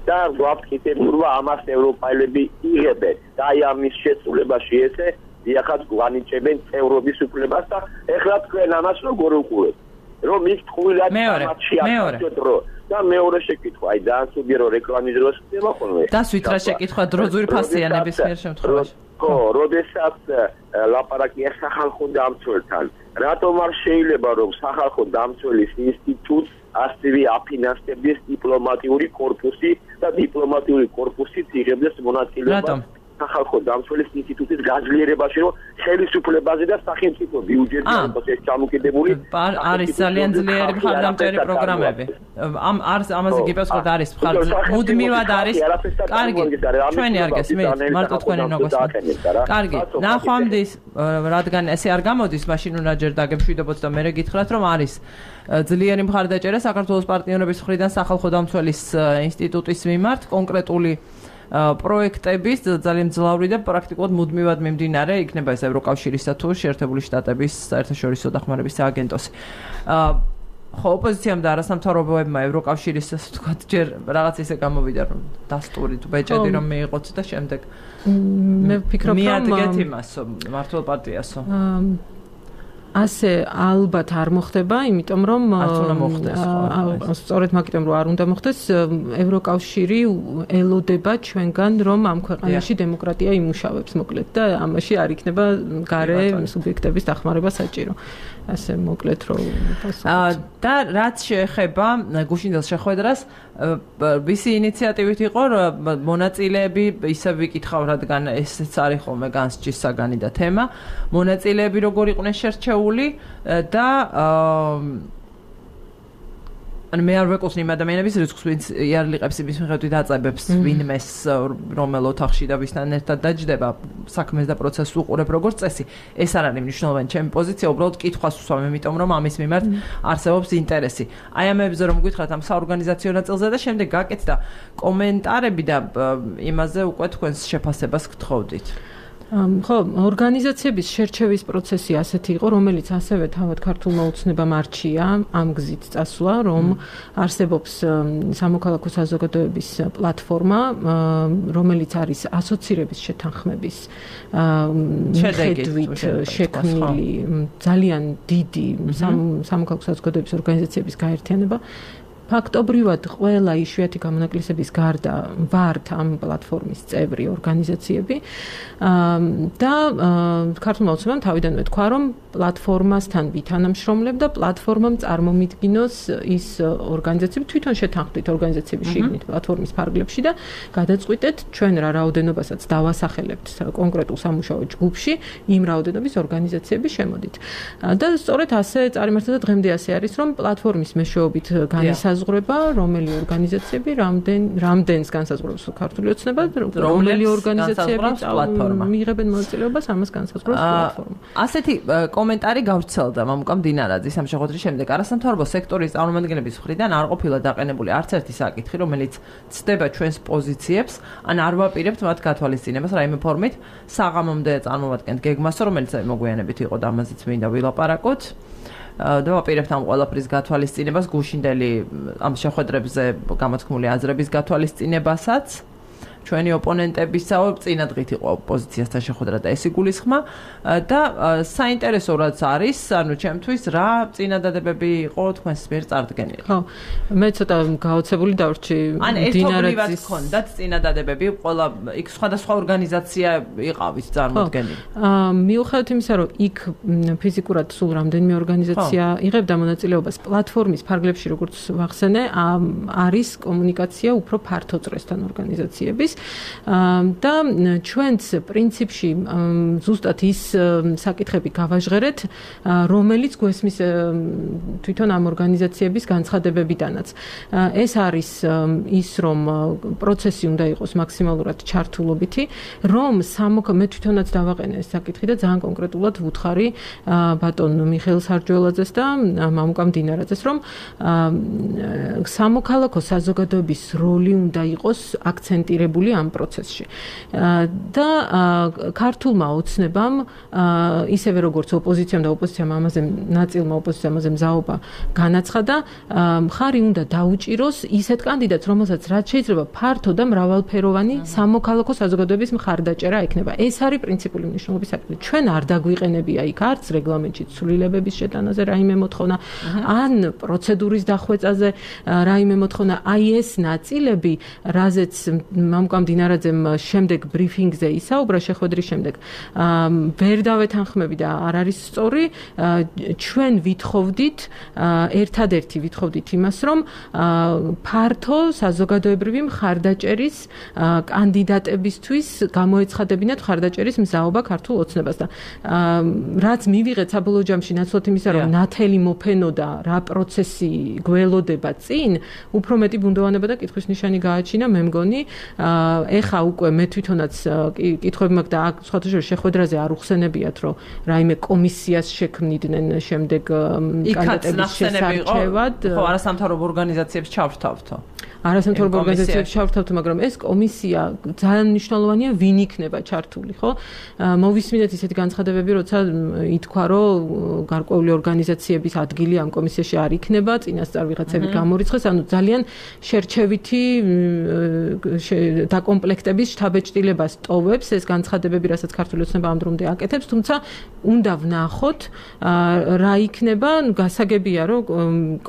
და გვაქვს კითხვება ამას ევროპელები იღებენ და აი ამის შესრულებაში ესე იახაც გვანიჭებენ წევრობის უფლებას და ეხლა თქვენ ამას როგორ უყურებთ? რომ ის თქვილად ამაში აკეთოთ დრო და მეორე შეკითხვა, აი ძალიან სულიერ რეკლამის დროს ხდება ხოლმე. დასვით რა შეკითხვა დრო ზურფასიანების მიერ შემთხვევაში. ხო, როდესაც ლაპარაკია სახალხო დამცველთან რატომ არ შეიძლება რომ სახალხო დამცველის ინსტიტუტს ასევე აფინანსებდეს დიპლომატიური კორპუსი და დიპლომატიური კორპუსით იღებდეს მონაწილეობას სახალხო დამცველის ინსტიტუტის გაძლიერებაში, რომ ხელისუფლებაზე და სახელმწიფო ბიუჯეტზე იყოს ეს ჩამოკიდებული. არის ძალიან ძლიერი მხარდამჭერი პროგრამები. ამაზე გიპასუხოთ არის მუდმივად არის. კარგი, ჩვენი არ გესმით, მარტო თქვენი ნოგოსმით. კარგი, ნახვამდის, რადგან ესე არ გამოდის, მაშინ უნდა ჯერ დაგემშვიდობოთ და მე გითხრათ, რომ არის ძლიერი მხარდაჭერა საქართველოს პარტნიორების მხრიდან სახალხო დამცველის ინსტიტუტის მიმართ კონკრეტული პროექტების ძალიან მძლავრი და პრაქტიკულად მუდმივად მიმდინარე იქნება ეს ევროკავშირისა თუ შეერთებული შტატების საერთაშორისო დახმარების სააგენტოსი. ხო, ოპოზიციამ და არასამთავრობოებმა ევროკავშირის ასე ვთქვათ, ჯერ რაღაც ისე გამოვიდა რომ დასტური თუ ბეჭედი რომ მიიღოთ და შემდეგ მე ვფიქრობ რომ მიადგეთ იმასო, მართლ პარტიასო. ასე ალბათ არ მოხდება, იმიტომ რომ სწორედ მაგიტომ რომ არ უნდა მოხდეს, ევროკავშირი ელოდება ჩვენგან რომ ამ ქვეყანაში დემოკრატია იმუშავებს, მოკლედ და ამაში არ იქნება გარე სუბიექტების დახმარება საჭირო. ასე მოკლედ რომ და რაც შეეხება გუშინდელ შეხვედრას, ვისი ინიციატივით იყო მონაწილეები, ისე ვიკითხავ, რადგან ესეც არის ხოლმე განსჯის საგანი და თემა, მონაწილეები როგორ იყვნენ შერჩეული და მე არ ვეკუთვნი იმ ადამიანების რიცხვს, ვინც იარლიყებს იმის მიხედვით აწებებს ვინმეს რომელ ოთახში და ვისთან ერთად დაჯდება საქმეს და პროცესს უყურებ როგორც წესი. ეს არ არის მნიშვნელოვანი ჩემი პოზიცია, უბრალოდ კითხვას ვსვამ, იმიტომ რომ ამის მიმართ არსებობს ინტერესი. აი ამებზე რომ გითხრათ ამ საორგანიზაციო ნაწილზე და შემდეგ გაკეთდა კომენტარები და იმაზე უკვე თქვენს შეფასებას გთხოვდით. ხო, ორგანიზაციების შერჩევის პროცესი ასეთი იყო, რომელიც ასევე თავად ქართულმა ოცნებამ არჩია ამ გზით წასვლა, რომ არსებობს სამოქალაქო საზოგადოების პლატფორმა, რომელიც არის ასოცირების შეთანხმების შედეგით შექმნილი ძალიან დიდი სამოქალაქო საზოგადოების ორგანიზაციების გაერთიანება. ფაქტობრივად ყველა იშვიათი გამონაკლისების გარდა ვართ ამ პლატფორმის წევრი ორგანიზაციები და ქართულმა ოცნებამ თავიდანვე თქვა, რომ პლატფორმასთან ვითანამშრომლებ და პლატფორმამ წარმომიდგინოს ის ორგანიზაციები, თვითონ შეთანხმდით ორგანიზაციების შიგნით პლატფორმის ფარგლებში და გადაწყვიტეთ ჩვენ რა რაოდენობასაც დავასახელებთ კონკრეტულ სამუშაო ჯგუფში, იმ რაოდენობის ორგანიზაციები შემოდით. და სწორედ ასე წარიმართა და დღემდე ასე არის, რომ პლატფორმის მეშვეობით განისაზღვრება რომელი ორგანიზაციები რამდენს განსაზღვრავს ქართული ოცნება, რომელი ორგანიზაციები მიიღებენ მონაწილეობას, ამას განსაზღვრავს პლატფორმა. ასეთი კომენტარი გავრცელდა მამუკა მდინარაძის ამ შეხვედრის შემდეგ. არასამთავრობო სექტორის წარმომადგენლების მხრიდან არ ყოფილა დაყენებული არც ერთი საკითხი, რომელიც ცდება ჩვენს პოზიციებს, ან არ ვაპირებთ მათ გათვალისწინებას რაიმე ფორმით. საღამომდე წარმოვადგენთ გეგმას, რომელიც მოგვიანებით იყო და ამაზეც მინდა ვილაპარაკოთ. და ვაპირებთ ამ ყველაფრის გათვალისწინებას, გუშინდელი ამ შეხვედრებზე გამოთქმული აზრების გათვალისწინებასაც. ჩვენი ოპონენტებისაო წინადღით იყო პოზიციასთან შეხვედრა და ეს იგულისხმა და საინტერესო რაც არის, ანუ ჩემთვის რა წინადადებები იყო თქვენს მიერ წარდგენილი. ხო, მე ცოტა გაოცებული დავრჩი დინარაძის ხონდათ წინადადებები, ყველა იქ სხვადასხვა ორგანიზაცია იყავით წარმოდგენილი. მიუხედავად იმისა, რომ იქ ფიზიკურად სულ რამდენიმე ორგანიზაცია იღებდა მონაწილეობას პლატფორმის ფარგლებში, როგორც ვახსენე, არის კომუნიკაცია უფრო ფართო წრესთან ორგანიზაციების და ჩვენც პრინციპში ზუსტად ის საკითხები გავაჟღერეთ, რომელიც გვესმის თვითონ ამ ორგანიზაციების განცხადებებიდანაც. ეს არის ის, რომ პროცესი უნდა იყოს მაქსიმალურად ჩართულობითი, რომ მე თვითონაც დავაყენე ეს საკითხი და ძალიან კონკრეტულად ვუთხარი ბატონ მიხეილ სარჯველაძეს და მამუკა მდინარაძეს, რომ სამოქალაქო საზოგადოების როლი უნდა იყოს აქცენტირებული ამ პროცესში. და ქართულმა ოცნებამ ისევე როგორც ოპოზიციამ და ოპოზიციამ ამაზე ნაწილმა ოპოზიციამ ამაზე მზაობა განაცხადა, მხარი უნდა დაუჭიროს ისეთ კანდიდატს, რომელსაც რაც შეიძლება ფართო და მრავალფეროვანი სამოქალაქო საზოგადოების მხარდაჭერა ექნება. ეს არის პრინციპული მნიშვნელობის საკითხი. ჩვენ არ დაგვიყენებია იქ არც რეგლამენტში ცვლილებების შეტანაზე რაიმე მოთხოვნა, ან პროცედურის დახვეწაზე რაიმე მოთხოვნა. აი ეს ნაწილები, რაზეც მამუკა ლუკა მდინარაძემ შემდეგ ბრიფინგზე ისაუბრა შეხვედრის შემდეგ ვერ დავეთანხმები და არ არის სწორი ჩვენ ვითხოვდით ერთადერთი ვითხოვდით იმას რომ ფართო საზოგადოებრივი მხარდაჭერის კანდიდატებისთვის გამოეცხადებინათ მხარდაჭერის მზაობა ქართულ ოცნებას და რაც მივიღეთ საბოლოო ჯამში ნაცვლად იმისა რომ ნათელი მოფენოდა რა პროცესი გველოდება წინ უფრო მეტი ბუნდოვანება და კითხვის ნიშანი გააჩინა მე მგონი ეხა უკვე მე თვითონაც კითხვები მაქვს და აქ სხვათა შორის შეხვედრაზე არ უხსენებიათ რომ რაიმე კომისიას შექმნიდნენ შემდეგ კანდიდატების შესარჩევად ხო არასამთავრობო ორგანიზაციებს ჩავრთავთო არასამთავრობო ორგანიზაციებს ჩავრთავთ, მაგრამ ეს კომისია ძალიან მნიშვნელოვანია, ვინ იქნება ჩართული, ხო? მოვისმინეთ ისეთი განცხადებები, როცა ითქვა, რომ გარკვეული ორგანიზაციების ადგილი ამ კომისიაში არ იქნება, წინასწარ ვიღაცები გამორიცხეს, ანუ ძალიან შერჩევითი დაკომპლექტების შთაბეჭდილებას ტოვებს ეს განცხადებები, რასაც ქართული ოცნება ამ დრომდე აკეთებს, თუმცა უნდა ვნახოთ რა იქნება, გასაგებია, რომ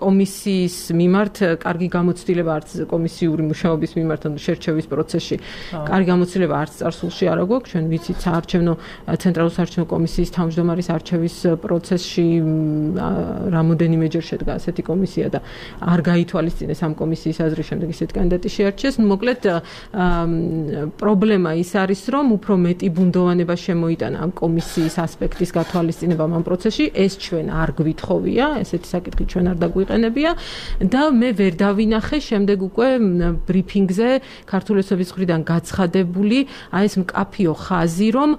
კომისიის მიმართ კარგი გამოცდილება არც კომისიური მუშაობის მიმართ ან შერჩევის პროცესში კარგი გამოცდილება არც წარსულში არ აქვს ჩვენ ვიცით საარჩევნო ცენტრალური საარჩევნო კომისიის თავმჯდომარის არჩევის პროცესში რამოდენიმეჯერ შედგა ასეთი კომისია და არ გაითვალისწინეს ამ კომისიის აზრის შემდეგ ისეთი კანდიდატი შეარჩიეს მოკლედ პრობლემა ის არის რომ უფრო მეტი ბუნდოვანება შემოიტანა ამ კომისიის ასპექტის გათვალისწინებამ ამ პროცესში ეს ჩვენ არ გვითხოვია ესეთი საკითხი ჩვენ არ დაგვიყენებია და მე ვერ დავინახე შემდეგ უკვე ბრიფინგზე ქართული ოცნების მხრიდან გაცხადებული აი ეს მკაფიო ხაზი რომ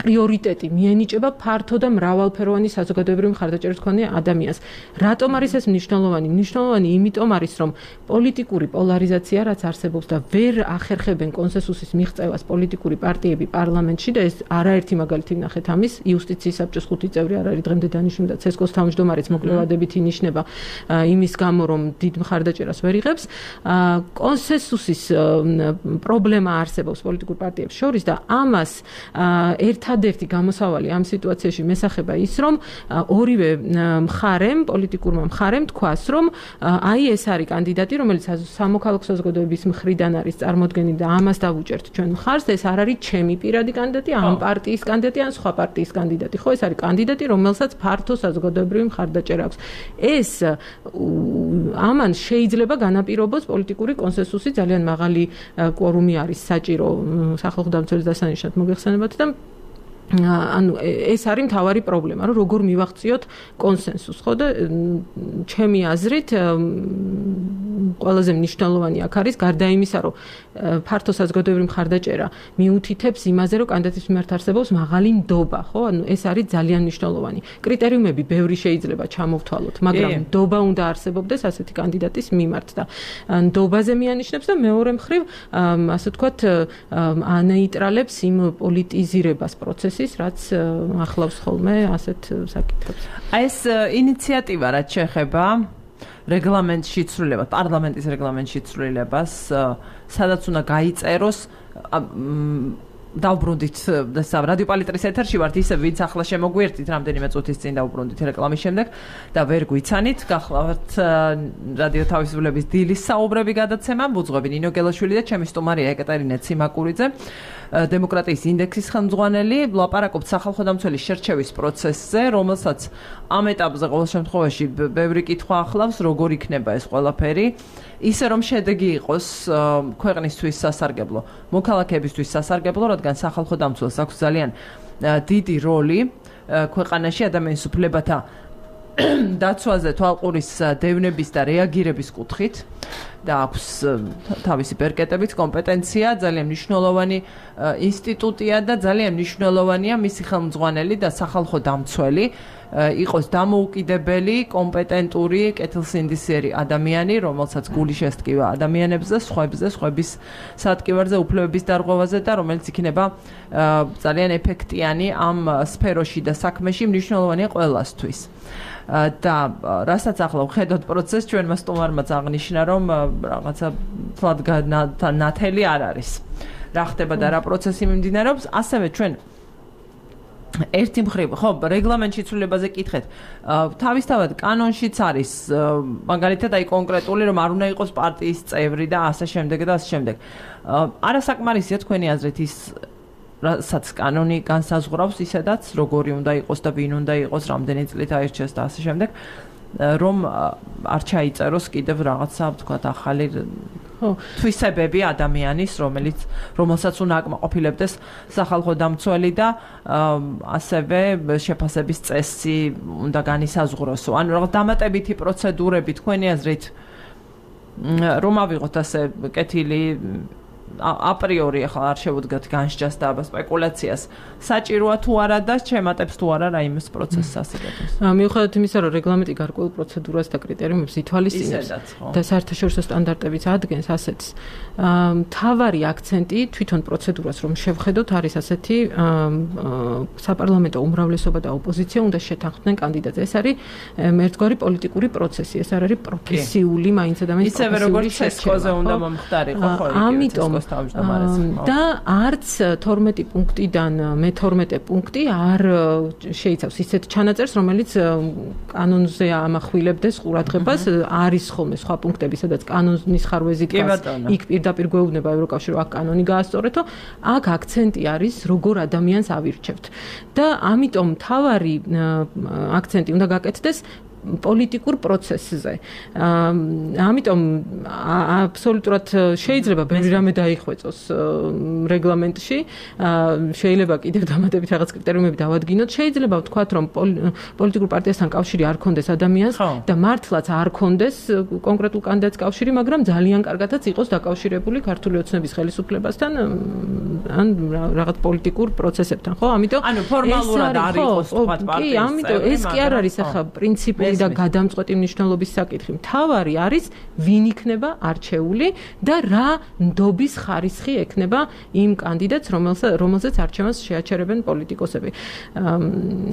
პრიორიტეტი მიენიჭება ფართო და მრავალფეროვანი საზოგადოებრივი მხარდაჭერის მქონე ადამიანს. რატომ არის ეს მნიშვნელოვანი? მნიშვნელოვანი იმიტომ არის რომ პოლიტიკური პოლარიზაცია რაც არსებობს და ვერ ახერხებენ კონსენსუსის მიღწევას პოლიტიკური პარტიები პარლამენტში და ეს არაერთი მაგალითი ვნახეთ ამის იუსტიციის საბჭოს 5 წევრი არ არის დღემდე დანიშნული და ცესკოს თავმჯდომარეც მოკლევადებით ინიშნება იმის გამო რომ დიდ მხარდაჭერას ვერ იღებს კონსენსუსის პრობლემა არსებობს პოლიტიკურ პარტიებს შორის და ამას ერთადერთი გამოსავალი ამ სიტუაციაში მესახება ის რომ ორივე მხარემ პოლიტიკურმა მხარემ თქვას რომ აი ეს არის კანდიდატი რომელიც სამოქალაქო საზოგადოების მხრიდან არის წარმოდგენილი და ამას დავუჭერთ ჩვენ მხარს ეს არ არის ჩემი პირადი კანდიდატი ამ პარტიის კანდიდატი ან სხვა პარტიის კანდიდატი ხო ეს არის კანდიდატი რომელსაც ფართო საზოგადოებრივი მხარდაჭერა აქვს ეს ამან შეიძლება განაპირობოს პოლიტიკური კონსენსუსი ძალიან მაღალი კვორუმი არის საჭირო სახალხო დამცველის დასანიშნად მოგეხსენებათ და ანუ ეს არის მთავარი პრობლემა რომ როგორ მივახციოთ კონსენსუსს ხო და ჩემი აზრით ყველაზე მნიშვნელოვანი აქ არის გარდა იმისა რომ ფართო საზოგადოებრივი მხარდაჭერა მიუთითებს იმაზე რომ კანდიდატის მიმართ არსებობს მაღალი ნდობა ხო ანუ ეს არის ძალიან მნიშვნელოვანი კრიტერიუმები ბევრი შეიძლება ჩამოვთვალოთ მაგრამ ნდობა უნდა არსებობდეს ასეთი კანდიდატის მიმართ და ნდობაზე მიანიშნებს და მეორე მხრივ ასე ვთქვათ ანეიტრალებს იმ პოლიტიზირებას პროცესს რაც ახლავს ხოლმე ასეთ საკითხებს. აი ეს ინიციატივა რაც შეეხება რეგლამენტში ცვლილებას, პარლამენტის რეგლამენტში ცვლილებას, სადაც უნდა გაიწეროს დავბრუნდით რადიო პალიტრის ეთერში ვართ ისე ვინც ახლა შემოგვიერთით რამდენიმე წუთის წინ დავბრუნდით რეკლამის შემდეგ და ვერ გვიცანით გახლავთ რადიო თავისუფლების დილის საუბრები გადაცემა ბუძღვები ნინო გელაშვილი და ჩემი სტუმარია ეკატერინე ციმაკურიძე დემოკრატიის ინდექსის ხელმძღვანელი ვლაპარაკობთ სახალხო დამცველის შერჩევის პროცესზე რომელსაც ამ ეტაპზე ყოველ შემთხვევაში ბევრი კითხვა ახლავს როგორ იქნება ეს ყველაფერი ისე რომ შედეგი იყოს ქვეყნისთვის სასარგებლო მოქალაქეებისთვის სასარგებლო რადგან სახალხო დამცველს აქვს ძალიან დიდი როლი ქვეყანაში ადამიანის უფლებათა დაცვაზე თვალყურის დევნების და რეაგირების კუთხით და აქვს თავისი პერკეტებით კომპეტენცია ძალიან მნიშვნელოვანი ინსტიტუტია და ძალიან მნიშვნელოვანია მისი ხელმძღვანელი და სახალხო დამცველი იყოს დამოუკიდებელი, კომპეტენტური, კეთილსინდისიერი ადამიანი, რომელსაც გული შესტკივა ადამიანებზე, სხვების სატკივარზე, უფლებების დარღვევაზე და რომელიც იქნება ძალიან ეფექტიანი ამ სფეროში და საქმეში მნიშვნელოვანია ყველასთვის. და რასაც ახლა ვხედოთ პროცესს ჩვენმა სტუმარმა აღნიშნა რომ რაღაცა თლად ნათელი არ არის. რა ხდება და რა პროცესი მიმდინარეობს, ასევე ჩვენ ერთი მხრივ, ხო, რეგლამენტში ცვლილებაზე კითხეთ. თავისთავად კანონშიც არის მაგალითად აი კონკრეტული რომ არ უნდა იყოს პარტიის წევრი და ასე შემდეგ და ასე შემდეგ. არასაკმარისია თქვენი აზრით ის რასაც კანონი განსაზღვრავს ისედაც როგორი უნდა იყოს და ვინ უნდა იყოს, რამდენი წლით აირჩიოს და ასე შემდეგ, რომ არ ჩაიწეროს კიდევ რაღაცა ვთქვათ ახალი თვისებები ადამიანის, რომელსაც უნდა აკმაყოფილებდეს სახალხო დამცველი და ასევე შეფასების წესი უნდა განისაზღვროსო. ანუ რაღაც დამატებითი პროცედურები თქვენი აზრით რომ ავიღოთ ასე კეთილი აპრიორი ახლა არ შევუდგათ განსჯას და სპეკულაციას საჭიროა თუ არა და შემატებს თუ არა რაიმეს პროცესს ასეთებს. მიუხედავად იმისა, რომ რეგლამენტი გარკვეულ პროცედურას და კრიტერიუმებს ითვალისწინებს და საერთაშორისო სტანდარტებიც ადგენს ასეთს, მთავარი აქცენტი თვითონ პროცედურას რომ შევხედოთ არის ასეთი საპარლამენტო უმრავლესობა და ოპოზიცია უნდა შეთანხმდნენ კანდიდატზე. ეს არის ერთგვარი პოლიტიკური პროცესი, ეს არ არის პროფესიული მაინც ადამიანის ისევე როგორც ცესკოზე უნდა მომხდარიყო ხო იგი. ამიტომ და არც 12 პუნქტიდან მე-12 პუნქტი არ შეიცავს ისეთ ჩანაწერს, რომელიც კანონზე ამახვილებდეს ყურადღებას. არის ხოლმე სხვა პუნქტები, სადაც კანონის ხარვეზი დგას, იქ პირდაპირ გვეუბნება ევროკავშირი, აქ კანონი გაასწორეთო. აქ აქცენტი არის, როგორ ადამიანს ავირჩევთ. და ამიტომ მთავარი აქცენტი უნდა გაკეთდეს პოლიტიკურ პროცესზე. ამიტომ აბსოლუტურად შეიძლება ბევრი რამე დაიხვეწოს რეგლამენტში, შეიძლება კიდევ დამატებით რაღაც კრიტერიუმები დავადგინოთ, შეიძლება ვთქვათ, რომ პოლიტიკურ პარტიასთან კავშირი არ ქონდეს ადამიანს და მართლაც არ ქონდეს კონკრეტულ კანდიდატს კავშირი, მაგრამ ძალიან კარგადაც იყოს დაკავშირებული ქართული ოცნების ხელისუფლებასთან ან რაღაც პოლიტიკურ პროცესებთან, ხო? ამიტომ ანუ ფორმალურად არ იყოს ვთქვათ პარტიის. კი, ამიტომ ეს კი არ არის ახლა პრინციპი და გადამწყვეტი მნიშვნელობის საკითხი. მთავარი არის ვინ იქნება არჩეული და რა ნდობის ხარისხი ექნება იმ კანდიდატს, რომელზეც არჩევანს შეაჩერებენ პოლიტიკოსები.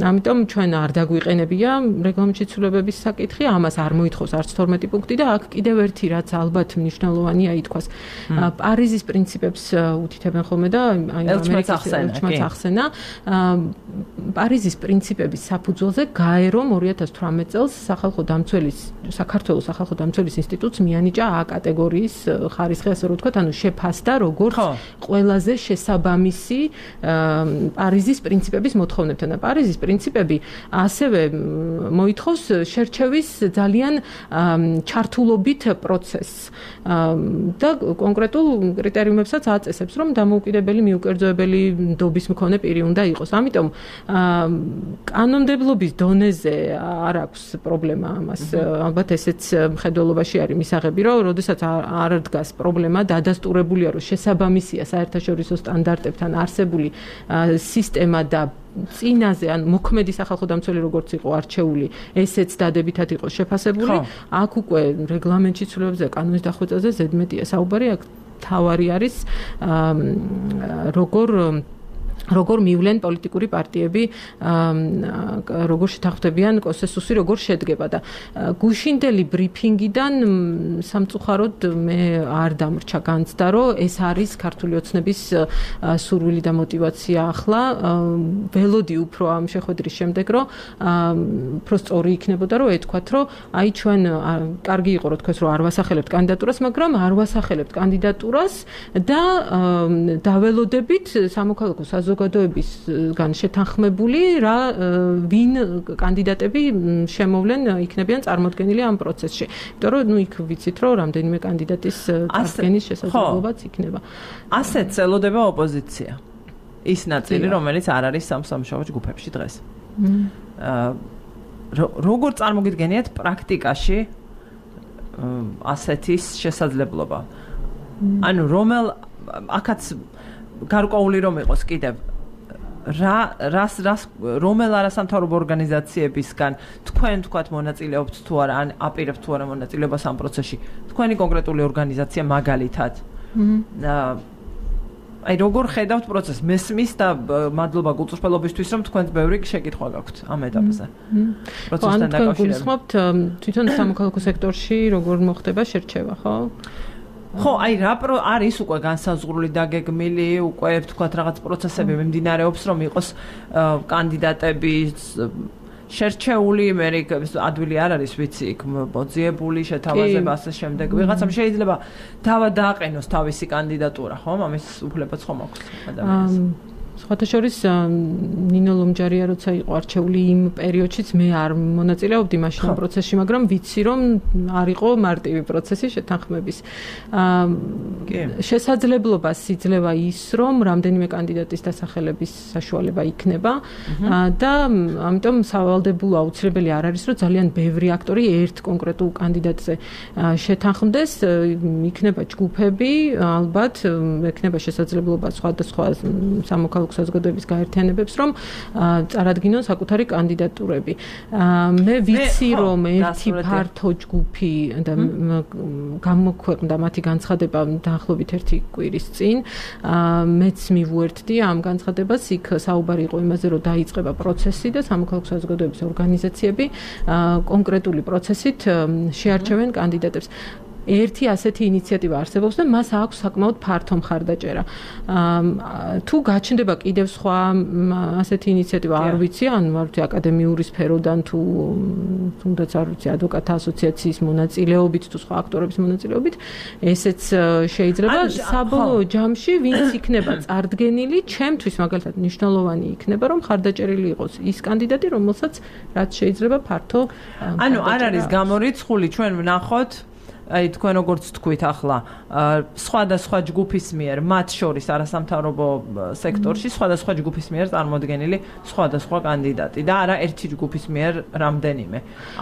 ამიტომ ჩვენ არ დაგვიყენებია რეგლამენტში ცვლილებების საკითხი, ამას არ მოითხოვს არც 12 პუნქტი და აქ კიდევ ერთი რაც ალბათ მნიშვნელოვანია ითქვას. პარიზის პრინციპებს უთითებენ ხოლმე და ამერიკის ელჩმაც ახსენა. პარიზის პრინციპების საფუძველზე გაერომ 2018 წელს საქართველოს სახალხო დამცველის ინსტიტუტს მიანიჭა A კატეგორიის ხარისხი, ასე რომ ვთქვათ, ანუ შეფასდა როგორც ყველაზე შესაბამისი პარიზის პრინციპების მოთხოვნებთან. და პარიზის პრინციპები ასევე მოითხოვს შერჩევის ძალიან ჩართულობით პროცესს და კონკრეტულ კრიტერიუმებსაც აწესებს, რომ დამოუკიდებელი მიუკერძოებელი ნდობის მქონე პირი უნდა იყოს. ამიტომ კანონმდებლობის დონეზე არ აქვს პრობლემა ამას. ალბათ ესეც მხედველობაში არის მისაღები, რომ როდესაც არ დგას პრობლემა, დადასტურებულია, რომ შესაბამისია საერთაშორისო სტანდარტებთან არსებული სისტემა და წინაზე ან მოქმედი სახალხო დამცველი როგორც იყო არჩეული, ესეც დადებითად იყო შეფასებული. აქ უკვე რეგლამენტში ცვლილებებზე, კანონის დახვეწაზე ზედმეტია საუბარი, აქ თავარი არის როგორ მივლენ პოლიტიკური პარტიები, როგორ შეთანხმდებიან კონსენსუსი, როგორ შედგება და გუშინდელი ბრიფინგიდან სამწუხაროდ მე არ დამრჩა განცდა, რომ ეს არის ქართული ოცნების სურვილი და мотиваცია ახლა. ველოდი უფრო ამ შეხვედრის შემდეგ, რომ უფრო სწორი იქნებოდა, რომ ეთქვათ, რომ აი ჩვენ კარგი იყო, რომ თქვენ რომ არ ვასახელებთ კანდიდატურას, მაგრამ არ ვასახელებთ კანდიდატურას და დაველოდებით სამოქალაქო საზოგადოებისგან შეთანხმებული რა ვინ კანდიდატები შემოვლენ იქნებიან წარმოდგენილი ამ პროცესში. იმიტომ რომ იქ ვიცით რომ რამდენიმე კანდიდატის წარდგენის შესაძლებლობაც იქნება. ასეც ელოდება ოპოზიცია. ის ნაწილი, რომელიც არ არის სამსამუშაო ჯგუფებში დღეს. როგორ წარმოგიდგენიათ პრაქტიკაში ასეთის შესაძლებლობა? ანუ აქაც გარკვეული რომ იყოს კიდევ რომელ არასამთავრობო ორგანიზაციებისგან თქვენ თქვათ მონაწილეობთ თუ არა ან აპირებთ თუ არა მონაწილეობას ამ პროცესში თქვენი კონკრეტული ორგანიზაცია მაგალითად აი როგორ ხედავთ პროცესს მესმის და მადლობა გულწრფელობისთვის რომ თქვენს ბევრი შეკითხვა გაქვთ ამ ეტაპზე პროცესთან დაკავშირებით თვითონ სამოქალაქო სექტორში როგორ მოხდება შერჩევა ხო ხო, აი რა არის უკვე განსაზღვრული დაგეგმილი, უკვე ვთქვათ რაღაც პროცესები მიმდინარეობს, რომ იყოს კანდიდატები შერჩეული, მე ადვილი არ არის, ვიცი, იქ მოძიებული, შეთავაზება ასე შემდეგ. ვიღაცამ შეიძლება თავად დააყენოს თავისი კანდიდატურა, ხო? ამის უფლებაც ხომ აქვს ადამიანს. სხვათა შორის ნინო ლომჯარია როცა იყო არჩეული იმ პერიოდშიც მე არ მონაწილეობდი მაშინ ამ პროცესში, მაგრამ ვიცი რომ არ იყო მარტივი პროცესი შეთანხმების. შესაძლებლობა სიძლევა ის რომ რამდენიმე კანდიდატის დასახელების საშუალება იქნება და ამიტომ სავალდებულო აუცილებელი არ არის რომ ძალიან ბევრი აქტორი ერთ კონკრეტულ კანდიდატზე შეთანხმდეს, იქნება ჯგუფები, ალბათ ექნება შესაძლებლობა სხვადასხვა სამოქალაქო საზოგადოების გაერთიანებებს რომ წარადგინონ საკუთარი კანდიდატურები. მე ვიცი რომ ერთი ფართო ჯგუფი და გამოქვეყნდა მათი განცხადება დაახლოებით ერთი კვირის წინ. მეც მივუერთდი ამ განცხადებას, იქ საუბარი იყო იმაზე რომ დაიწყება პროცესი და სამოქალაქო საზოგადოების ორგანიზაციები კონკრეტული პროცესით შეარჩევენ კანდიდატებს. ერთი ასეთი ინიციატივა არსებობს და მას აქვს საკმაოდ ფართო მხარდაჭერა. თუ გაჩნდება კიდევ სხვა ასეთი ინიციატივა, არ ვიცი, ან ვთქვი აკადემიური სფეროდან თუ თუნდაც არ ვიცი ადვოკატთა ასოციაციის მონაწილეობით თუ სხვა აქტორების მონაწილეობით, ესეც შეიძლება საბოლოო ჯამში ვინც იქნება წარდგენილი, ჩემთვის მაგალითად მნიშვნელოვანი იქნება, რომ მხარდაჭერილი იყოს ის კანდიდატი, რომელსაც რაც შეიძლება ფართო ანუ არ არის გამორიცხული, ჩვენ ვნახოთ აი თქვენ როგორც თქვით ახლა სხვადასხვა ჯგუფის მიერ მათ შორის არასამთავრობო სექტორში სხვადასხვა ჯგუფის მიერ წარმოდგენილი სხვადასხვა კანდიდატი და არა ერთი ჯგუფის მიერ რამდენიმე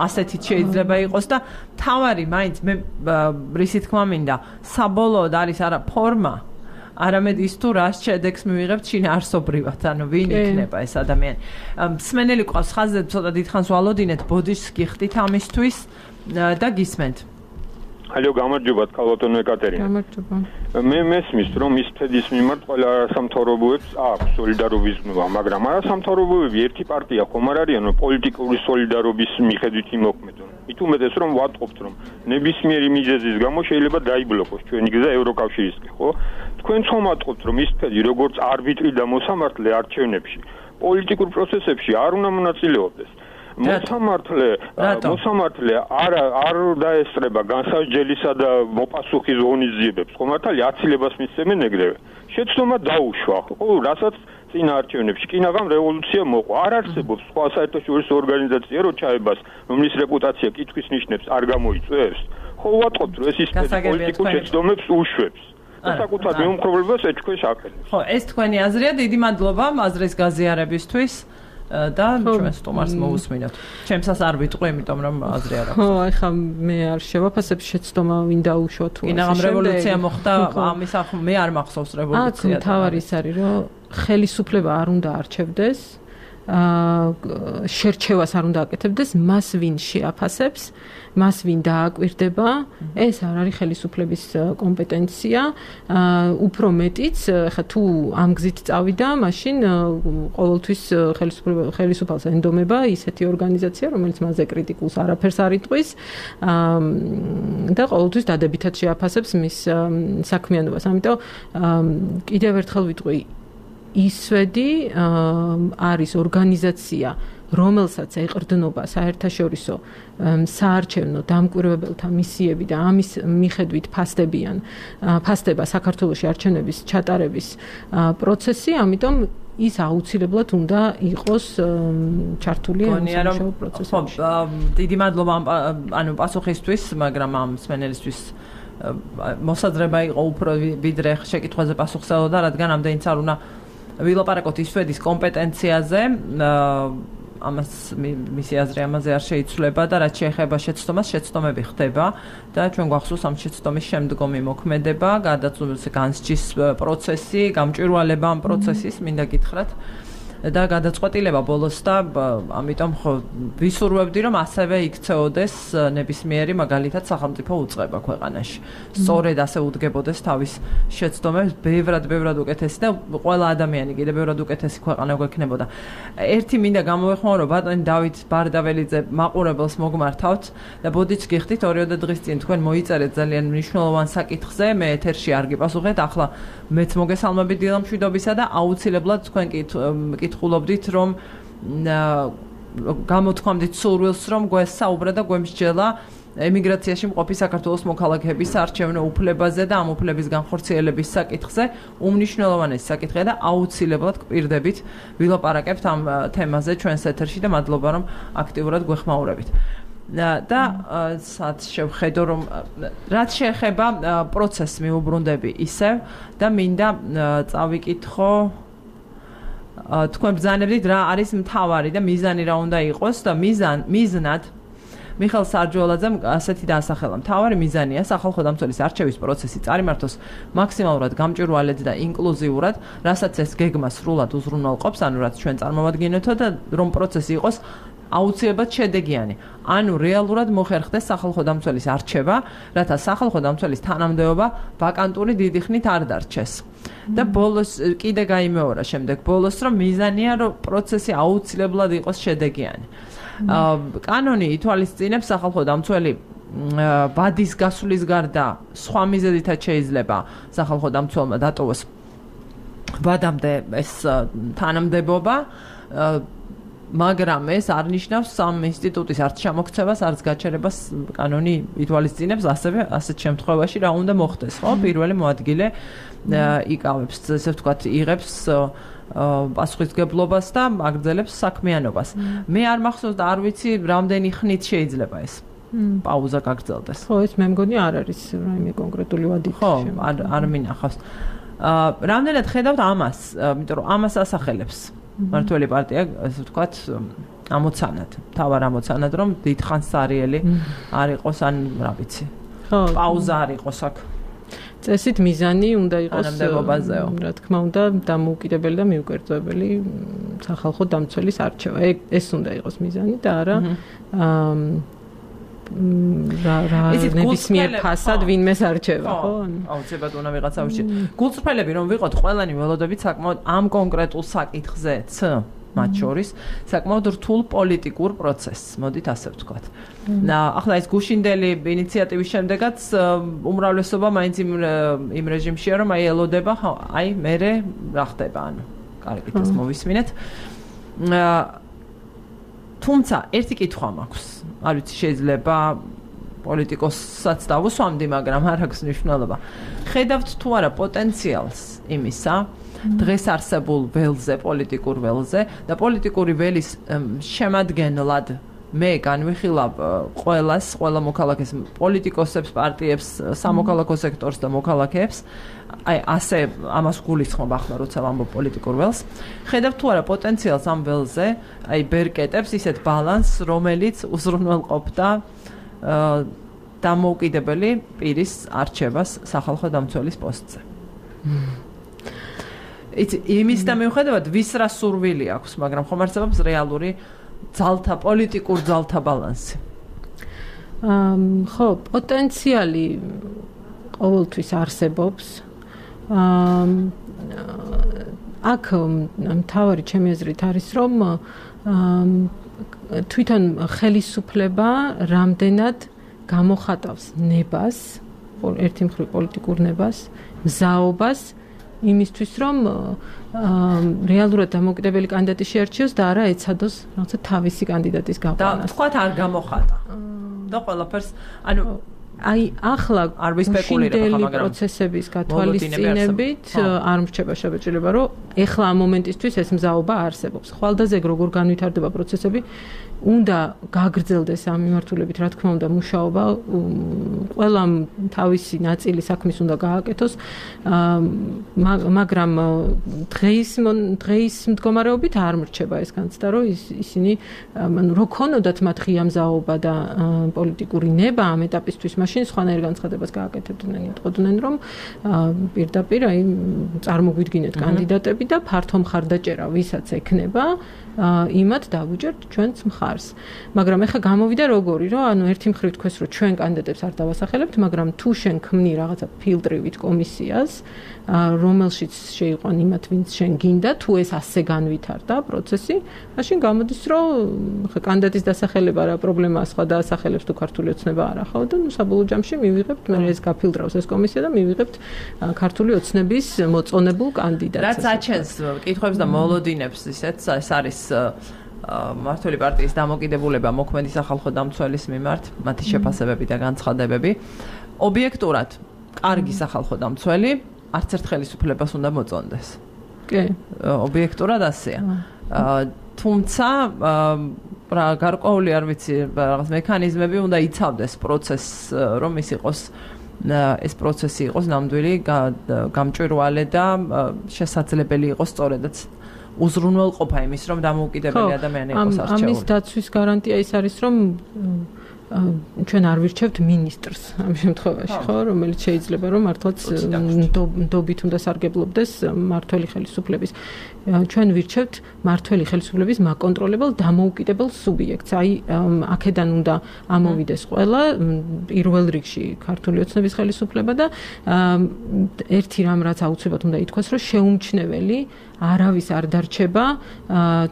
ასეთიც შეიძლება იყოს და თავარი მაინც მე რისი თქმა მინდა საბოლოოდ არის არა ფორმა არამედ ის თუ რა შედეგს მივიღებთ შინაარსობრივად ანუ ვინ იქნება ეს ადამიანი მსმენელი ყავს ხაზზე ცოტა დიდხანს ვალოდინეთ ბოდიშს გიხდით ამისთვის და გისმენთ Алло, გამარჯობათ, ქალბატონო ეკატერინა. გამარჯობა. მე მესმის, რომ ის თედის მიმართ ყველა არასამთავრობოებს აქვს სოლიდარობის გზნობა, მაგრამ არასამთავრობოები ერთი პარტია ხომ არ არიან, რომ პოლიტიკური სოლიდარობის მიხედვით იმოქმედონ. მით უმეტეს, რომ ვატყობთ, რომ ნებისმიერი მიზეზის გამო შეიძლება დაიბლოკოს ჩვენი გზა ევროკავშირისკენ, ხო? თქვენ ხომ ვატყობთ, რომ ის თედი როგორც არბიტრი და მოსამართლე არჩევნებში, პოლიტიკურ პროცესებში არ უნდა მონაწილეობდეს. მოსამართლე არ დაესწრება განსაჯელისა და მოპასუხის ღონისძიებებს. ხომართალი აცილებას მისცემენ ეგრევე. შეცდომა დაუშვა, ხო, რასაც წინა არჩევნებში კინაღამ რევოლუცია მოყვა. არ არსებობს სხვა საერთაშორისო ორგანიზაცია, რო ჩაებას, რომლის რეპუტაცია კითხვის ნიშნებს არ გამოიწვევს. ხო, ვატყობთ, რომ ეს ის პოლიტიკურ შეცდომებს უშვებს. და საკუთარ მეუმხრობლებას ეჭქვეშ აყენებს. ხო, ეს თქვენი აზრია, დიდი მადლობა აზრის გაზიარებისთვის. და ჩვენ სტომარს მოусმინოთ. ჩემსაც არ ვიტყვი, იმიტომ რომ აზრი არ აქვს. ხო, ახლა მე არ შევაფასებ შეცდომა ვინ დაუშვა თუ კინაღამ რევოლუცია მოხდა, ამის მე არ მახსოვს რევოლუცია. აქ თავარი ის არის, რომ ხელისუფლება არ უნდა არჩევდეს, შერჩევას არ უნდა აკეთებდეს, მას ვინ შეაფასებს, მას ვინ დააკვირდება, ეს არ არის ხელისუფლების კომპეტენცია. უფრო მეტიც, ხა თუ ამ გზით წავიდა, მაშინ ყოველთვის ხელისუფალს ენდომება ისეთი ორგანიზაცია, რომელიც მასზე კრიტიკულს არაფერს არ იტყვის და ყოველთვის დადებითად შეაფასებს მის საქმიანობას. ამიტომ კიდევ ერთხელ ვიტყვი ისვედი არის ორგანიზაცია, რომელსაც ეყრდნობა საერთაშორისო საარჩევნო დამკვირვებელთა მისიები და ამის მიხედვით ფასდება საქართველოში არჩევნების ჩატარების პროცესი, ამიტომ ის აუცილებლად უნდა იყოს ჩართული ამ პროცესში. დიდი მადლობა ანუ პასუხისთვის, მაგრამ ამ მსმენელისთვის მოსაზრება იყო უფრო ვიდრე შეკითხვაზე პასუხსელოდა, რადგან ამდენიც არ უნდა ვილაპარაკოთ ისვედის კომპეტენციაზე, ამას მისი აზრი ამაზე არ შეიცვლება და რაც შეეხება შეცდომას, შეცდომები ხდება და ჩვენ გვახსოვს ამ შეცდომის შემდგომი მოქმედება, განსჯის პროცესი, გამჭვირვალება ამ პროცესის, მინდა გითხრათ. და გადაწყვეტილება ბოლოს და ამიტომ ხო ვისურვებდი რომ ასევე იქცეოდეს ნებისმიერი მაგალითად სახელმწიფო უწყება ქვეყანაში. სწორედ ასე უდგებოდეს თავის შეცდომებს ბევრად უკეთესი და ყველა ადამიანი კიდევ ბევრად უკეთესი ქვეყანა გვექნებოდა. ერთი მინდა გამოვეხმაურო ბატონი დავით ბარდაველიძე მაყურებელს მოგმართავთ და ბოდიც გიხდით 2 დღის წინ თქვენ მოიწერეთ ძალიან მნიშვნელოვან საკითხზე მე ეთერში არ გიპასუხეთ ახლა მეც მოგესალმებით დილა მშვიდობისა და აუცილებლად თქვენ კითხულობდით რომ გამოთქვამდით სურვილს რომ გვესაუბრა და გვემსჯელა ემიგრაციაში მყოფი საქართველოს მოქალაქეების არჩევნო უფლებაზე და ამ უფლების განხორციელების საკითხზე უმნიშვნელოვანესი საკითხია და აუცილებლად გვპირდებით ვილაპარაკებთ ამ თემაზე ჩვენს ეთერში და მადლობა რომ აქტიურად გვეხმაურებით. და სად შევხედო რომ რაც შეეხება პროცესს მიუბრუნდები ისევ და მინდა წავიკითხო თქვენ ბრძანებდით რა არის მთავარი და მიზანი რა უნდა იყოს და მიზნად მიხეილ სარჯველაძემ ასეთი დაასახელა მთავარი მიზანია სახალხო დამცველის არჩევის პროცესი წარიმართოს მაქსიმალურად გამჭვირვალედ და ინკლუზიურად რასაც ეს გეგმა სრულად უზრუნველყოფს ანუ რაც ჩვენ წარმოვადგინეთო და რომ პროცესი იყოს აუცილებლად შედეგიანი. ანუ რეალურად მოხერხდეს სახალხო დამცველის არჩევა, რათა სახალხო დამცველის თანამდებობა ვაკანტური დიდი ხნით არ დარჩეს. და ბოლოს კიდე გაიმეორა შემდეგ ბოლოს რომ მიზანია რომ პროცესი აუცილებლად იყოს შედეგიანი. კანონი ითვალისწინებს სახალხო დამცველი ბადის გასვლის გარდა სხვა მიზეზითაც შეიძლება სახალხო დამცველმა დატოვოს ბადამდე ეს თანამდებობა მაგრამ ეს არ ნიშნავს სამ ინსტიტუტის არც ჩამოქცევას, არც გაჩერებას კანონი ითვალისწინებს, ასევე ასეთ შემთხვევაში რა უნდა მოხდეს, ხო? პირველი მოადგილე იკავებს, ესე ვთქვათ, იღებს პასუხისმგებლობას და აგრძელებს საქმიანობას. მე არ მახსოვს და არ ვიცი, რამდენი ხნით შეიძლება ეს პაუზა გაგრძელდეს. ხო, ეს მე მგონი არ არის რაიმე კონკრეტული ვადით. ხო, არ მინახავს. რამდენად ხედავთ ამას, იმიტომ რომ ამას ასახელებს მართველი პარტია, ასე ვთქვათ, ამოცანად, თავარ ამოცანად, რომ დიდხანს სარიელი არ იყოს, ან რა ვიცი. ხო, პაუზა არ იყოს აქ. წესით მიზანი უნდა იყოს თანამდებობაზეო. რა თქმა უნდა, დამოუკიდებელი და მიუკერძოებელი სახალხო დამცველის არჩევა. ეს უნდა იყოს მიზანი და არა ნებისმიერ ფასად ვინმეს არჩევა, ხო? აუცილებლად უნდა ვიღაცა უშე. გულწრფელები რომ ვიყოთ, ყველანი ველოდებით საკმაოდ ამ კონკრეტულ საკითხზეც, მათ შორის, საკმაოდ რთულ პოლიტიკურ პროცესს, მოდით ასე ვთქვათ. ახლა ეს გუშინდელი ინიციატივის შემდეგაც უმრავლესობა მაინც იმ რეჟიმშია, რომ აი ელოდება, აი მერე რა ხდება, ანუ კარგით ეს მოვისმინეთ. თუმცა ერთი კითხვა მაქვს. არ ვიცი შეიძლება პოლიტიკოსაც დავუსვამდი, მაგრამ არ აქვს მნიშვნელობა. ხედავთ თუ არა პოტენციალს იმისა, დღეს არსებულ ველზე, პოლიტიკურ ველზე და პოლიტიკური ველის შემადგენლად მე განვიხილავ ყველა მოქალაქეს, პოლიტიკოსებს, პარტიებს, სამოქალაქო სექტორს და მოქალაქეებს, აი ასე ამას გულისხმობ ახლა როცა ვამბობ პოლიტიკურ ველს. ხედავთ თუ არა პოტენციალს ამ ველზე, აი ბერკეტებს ისეთ ბალანსს, რომელიც უზრუნველყოფდა დამოუკიდებელი პირის არჩევას სახალხო დამცველის პოსტზე. იმის და მიუხედავად ვის რა სურვილი აქვს, მაგრამ ხომ არსებობს რეალური ძალთა, პოლიტიკურ ძალთა ბალანსი. ხო, პოტენციალი ყოველთვის არსებობს. აქ მთავარი ჩემი აზრით არის, რომ თვითონ ხელისუფლება რამდენად გამოხატავს ნებას, ერთი მხრივ პოლიტიკურ ნებას, მზაობას იმისთვის, რომ რეალურად დამოუკიდებელი კანდიდატი შეარჩიოს და არა ეცადოს რაღაცა თავისი კანდიდატის გაყვანას. და თქვათ არ გამოხატა. და ყველაფერს, ანუ აი ახლა გუშინდელი პროცესების გათვალისწინებით არ მრჩება შეჭრება, რომ ეხლა ამ მომენტისთვის ეს მზაობა არსებობს. ხვალდაზე როგორ განვითარდება პროცესები, უნდა გაგრძელდეს ამ მიმართულებით, რა თქმა უნდა, მუშაობა, ყველამ თავისი ნაწილი საქმის უნდა გააკეთოს, მაგრამ დღეის მდგომარეობით არ მრჩება ეს განცდა, რომ ისინი რო ქონოდათ მათ ღია მზაობა და პოლიტიკური ნება ამ ეტაპისთვის, მაშინ სხვანაირ განცხადებას გააკეთებდნენ, იტყოდნენ, რომ პირდაპირ აი წარმოგვიდგინეთ კანდიდატები და ფართო მხარდაჭერა ვისაც ექნება, იმათ დავუჯერთ ჩვენს მხარს. მაგრამ ეხლა გამოვიდა როგორი, რომ ანუ ერთი მხრივ თქვეს, რომ ჩვენ კანდიდატებს არ დავასახელებთ, მაგრამ თუ შენ ქმნი რაღაცა ფილტრივით კომისიას, რომელშიც შეიყვან იმათ, ვინც შენ გინდა, თუ ეს ასე განვითარდა პროცესი, მაშინ გამოდის, რომ ხა კანდიდატის დასახელება რა პრობლემაა, სხვა დაასახელებს თუ ქართული ოცნება არ ახავ და ნუ საბოლოო ჯამში მივიღებთ, მე ეს გაფილტრავს ეს კომისია და მივიღებთ ქართული ოცნების მოწონებულ კანდიდატს. რაც აჩენს კითხვებს და მოლოდინებს ისეთ ეს არის მმართველი პარტიის დამოკიდებულება მოქმედი სახალხო დამცველის მიმართ, მათი შეფასებები და განცხადებები. ობიექტურად, კარგი სახალხო დამცველი არც ერთ ხელისუფლებას უნდა მოწონდეს. კი. ობიექტურად ასეა. თუმცა რა გარკვეული არ ვიცი რაღაც მექანიზმები უნდა იცავდეს პროცესს, რომ ის იყოს ეს პროცესი იყოს ნამდვილი, გამჭვირვალე და შესაძლებელი იყოს სწორედაც უზრუნველყოფა იმის, რომ დამოუკიდებელი ადამიანი იყოს არჩეული. ამის დაცვის გარანტია ის არის, რომ ჩვენ არ ვირჩევთ მინისტრს ამ შემთხვევაში, ხო, რომელიც შეიძლება რომ მართლაც ნდობით უნდა სარგებლობდეს მმართველი ხელისუფლების. ჩვენ ვირჩევთ მმართველი ხელისუფლების მაკონტროლებელ დამოუკიდებელ სუბიექტს. აი, აქედან უნდა ამოვიდეს ყველა პირველ რიგში ქართული ოცნების ხელისუფლება და ერთი რამ რაც აუცილებლად უნდა ითქვას, რომ შეუმჩნეველი არავის არ დარჩება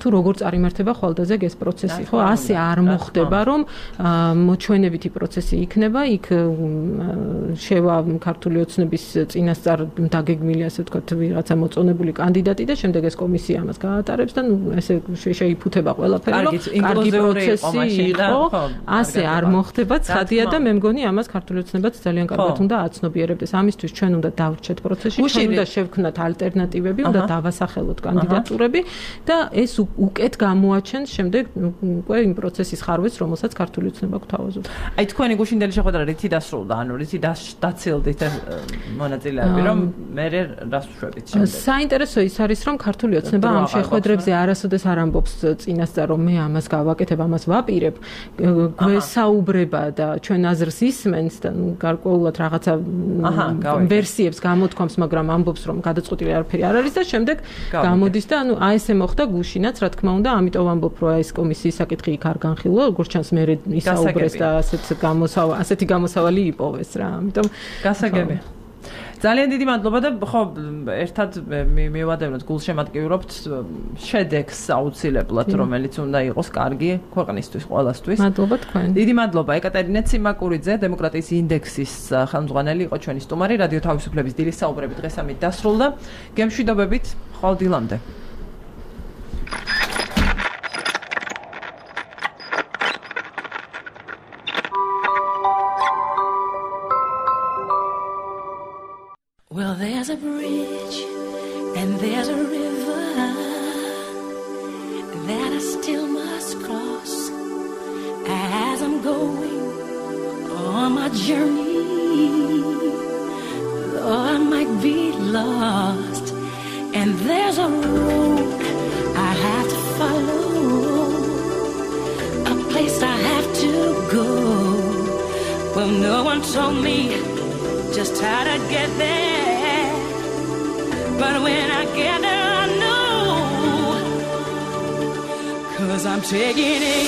თუ როგორ წარიმართება ხვალდაზეგ ეს პროცესი, ხო? ასე არ მოხდება, რომ მოჩვენებითი პროცესი იქნება, იქ შევა ქართული ოცნების წინასწარ დაგეგმილი, ასე ვთქვათ, ვიღაცა მოწონებული კანდიდატი და შემდეგ ეს კომისია ამას გაატარებს და ნუ ესე შეიფუთება ყველაფერი, რომ კარგი პროცესი იყო, ასე არ მოხდება, ცხადია და მე მგონი ამას ქართული ოცნებაც ძალიან კარგად უნდა აცნობიერებდეს. ამისთვის ჩვენ უნდა დავრჩეთ პროცესში, ჩვენ უნდა შევქმნათ ალტერნატივები, უნდა დავასახელოთ კანდიდატურები და ეს უკეთ გამოაჩენს შემდეგ უკვე იმ პროცესის ხარვეს, რომელსაც ქართული ოცნება გვთავაზობს. აი თქვენი გუშინდელი შეხვედრა რითი დასრულდა, ანუ რითი დაცილდით მონაწილეები, რომ მე რას ვშვებით შემდეგ. საინტერესო ის არის, რომ ქართული ოცნება ამ შეხვედრებზე არასოდეს არ ამბობს წინასწარ, რომ მე ამას გავაკეთებ, ამას ვაპირებ, გვესაუბრება და ჩვენ აზრს ისმენს და გარკვეულად რაღაცა ვერსიებს გამოთქვამს, მაგრამ ამბობს, რომ გადაწყვეტილი არაფერი არ არის და შემდეგ გამოდის და ანუ აი ესე მოხდა გუშინაც, რა თქმა უნდა, ამიტომ ვამბობ, რომ ეს კომისიის საკითხი იქ არ განხილვა, როგორც ჩანს მე ისაუბრეს და ასეთი გამოსავალი იპოვეს რა. ამიტომ გასაგები. ძალიან დიდი მადლობა და ხო ერთად მივადევნოთ, გულშემატკივრობთ შედეგს აუცილებლად, რომელიც უნდა იყოს კარგი ქვეყნისთვის, ყველასთვის. მადლობა თქვენ. დიდი მადლობა ეკატერინე ციმაკურიძე, დემოკრატიის ინდექსის ხელმძღვანელი იყო ჩვენი სტუმარი, რადიო თავისუფლების დილის საუბრები დღეს ამით დასრულდა. გემშვიდობებით, ხვალ დილამდე. Well, there's a bridge and there's a river that I still must cross as I'm going on my journey. Though I might be lost, and there's a road I have to follow, a place I have to go. Well, no one told me just how to get there, but when I get there I know, 'cause I'm taking it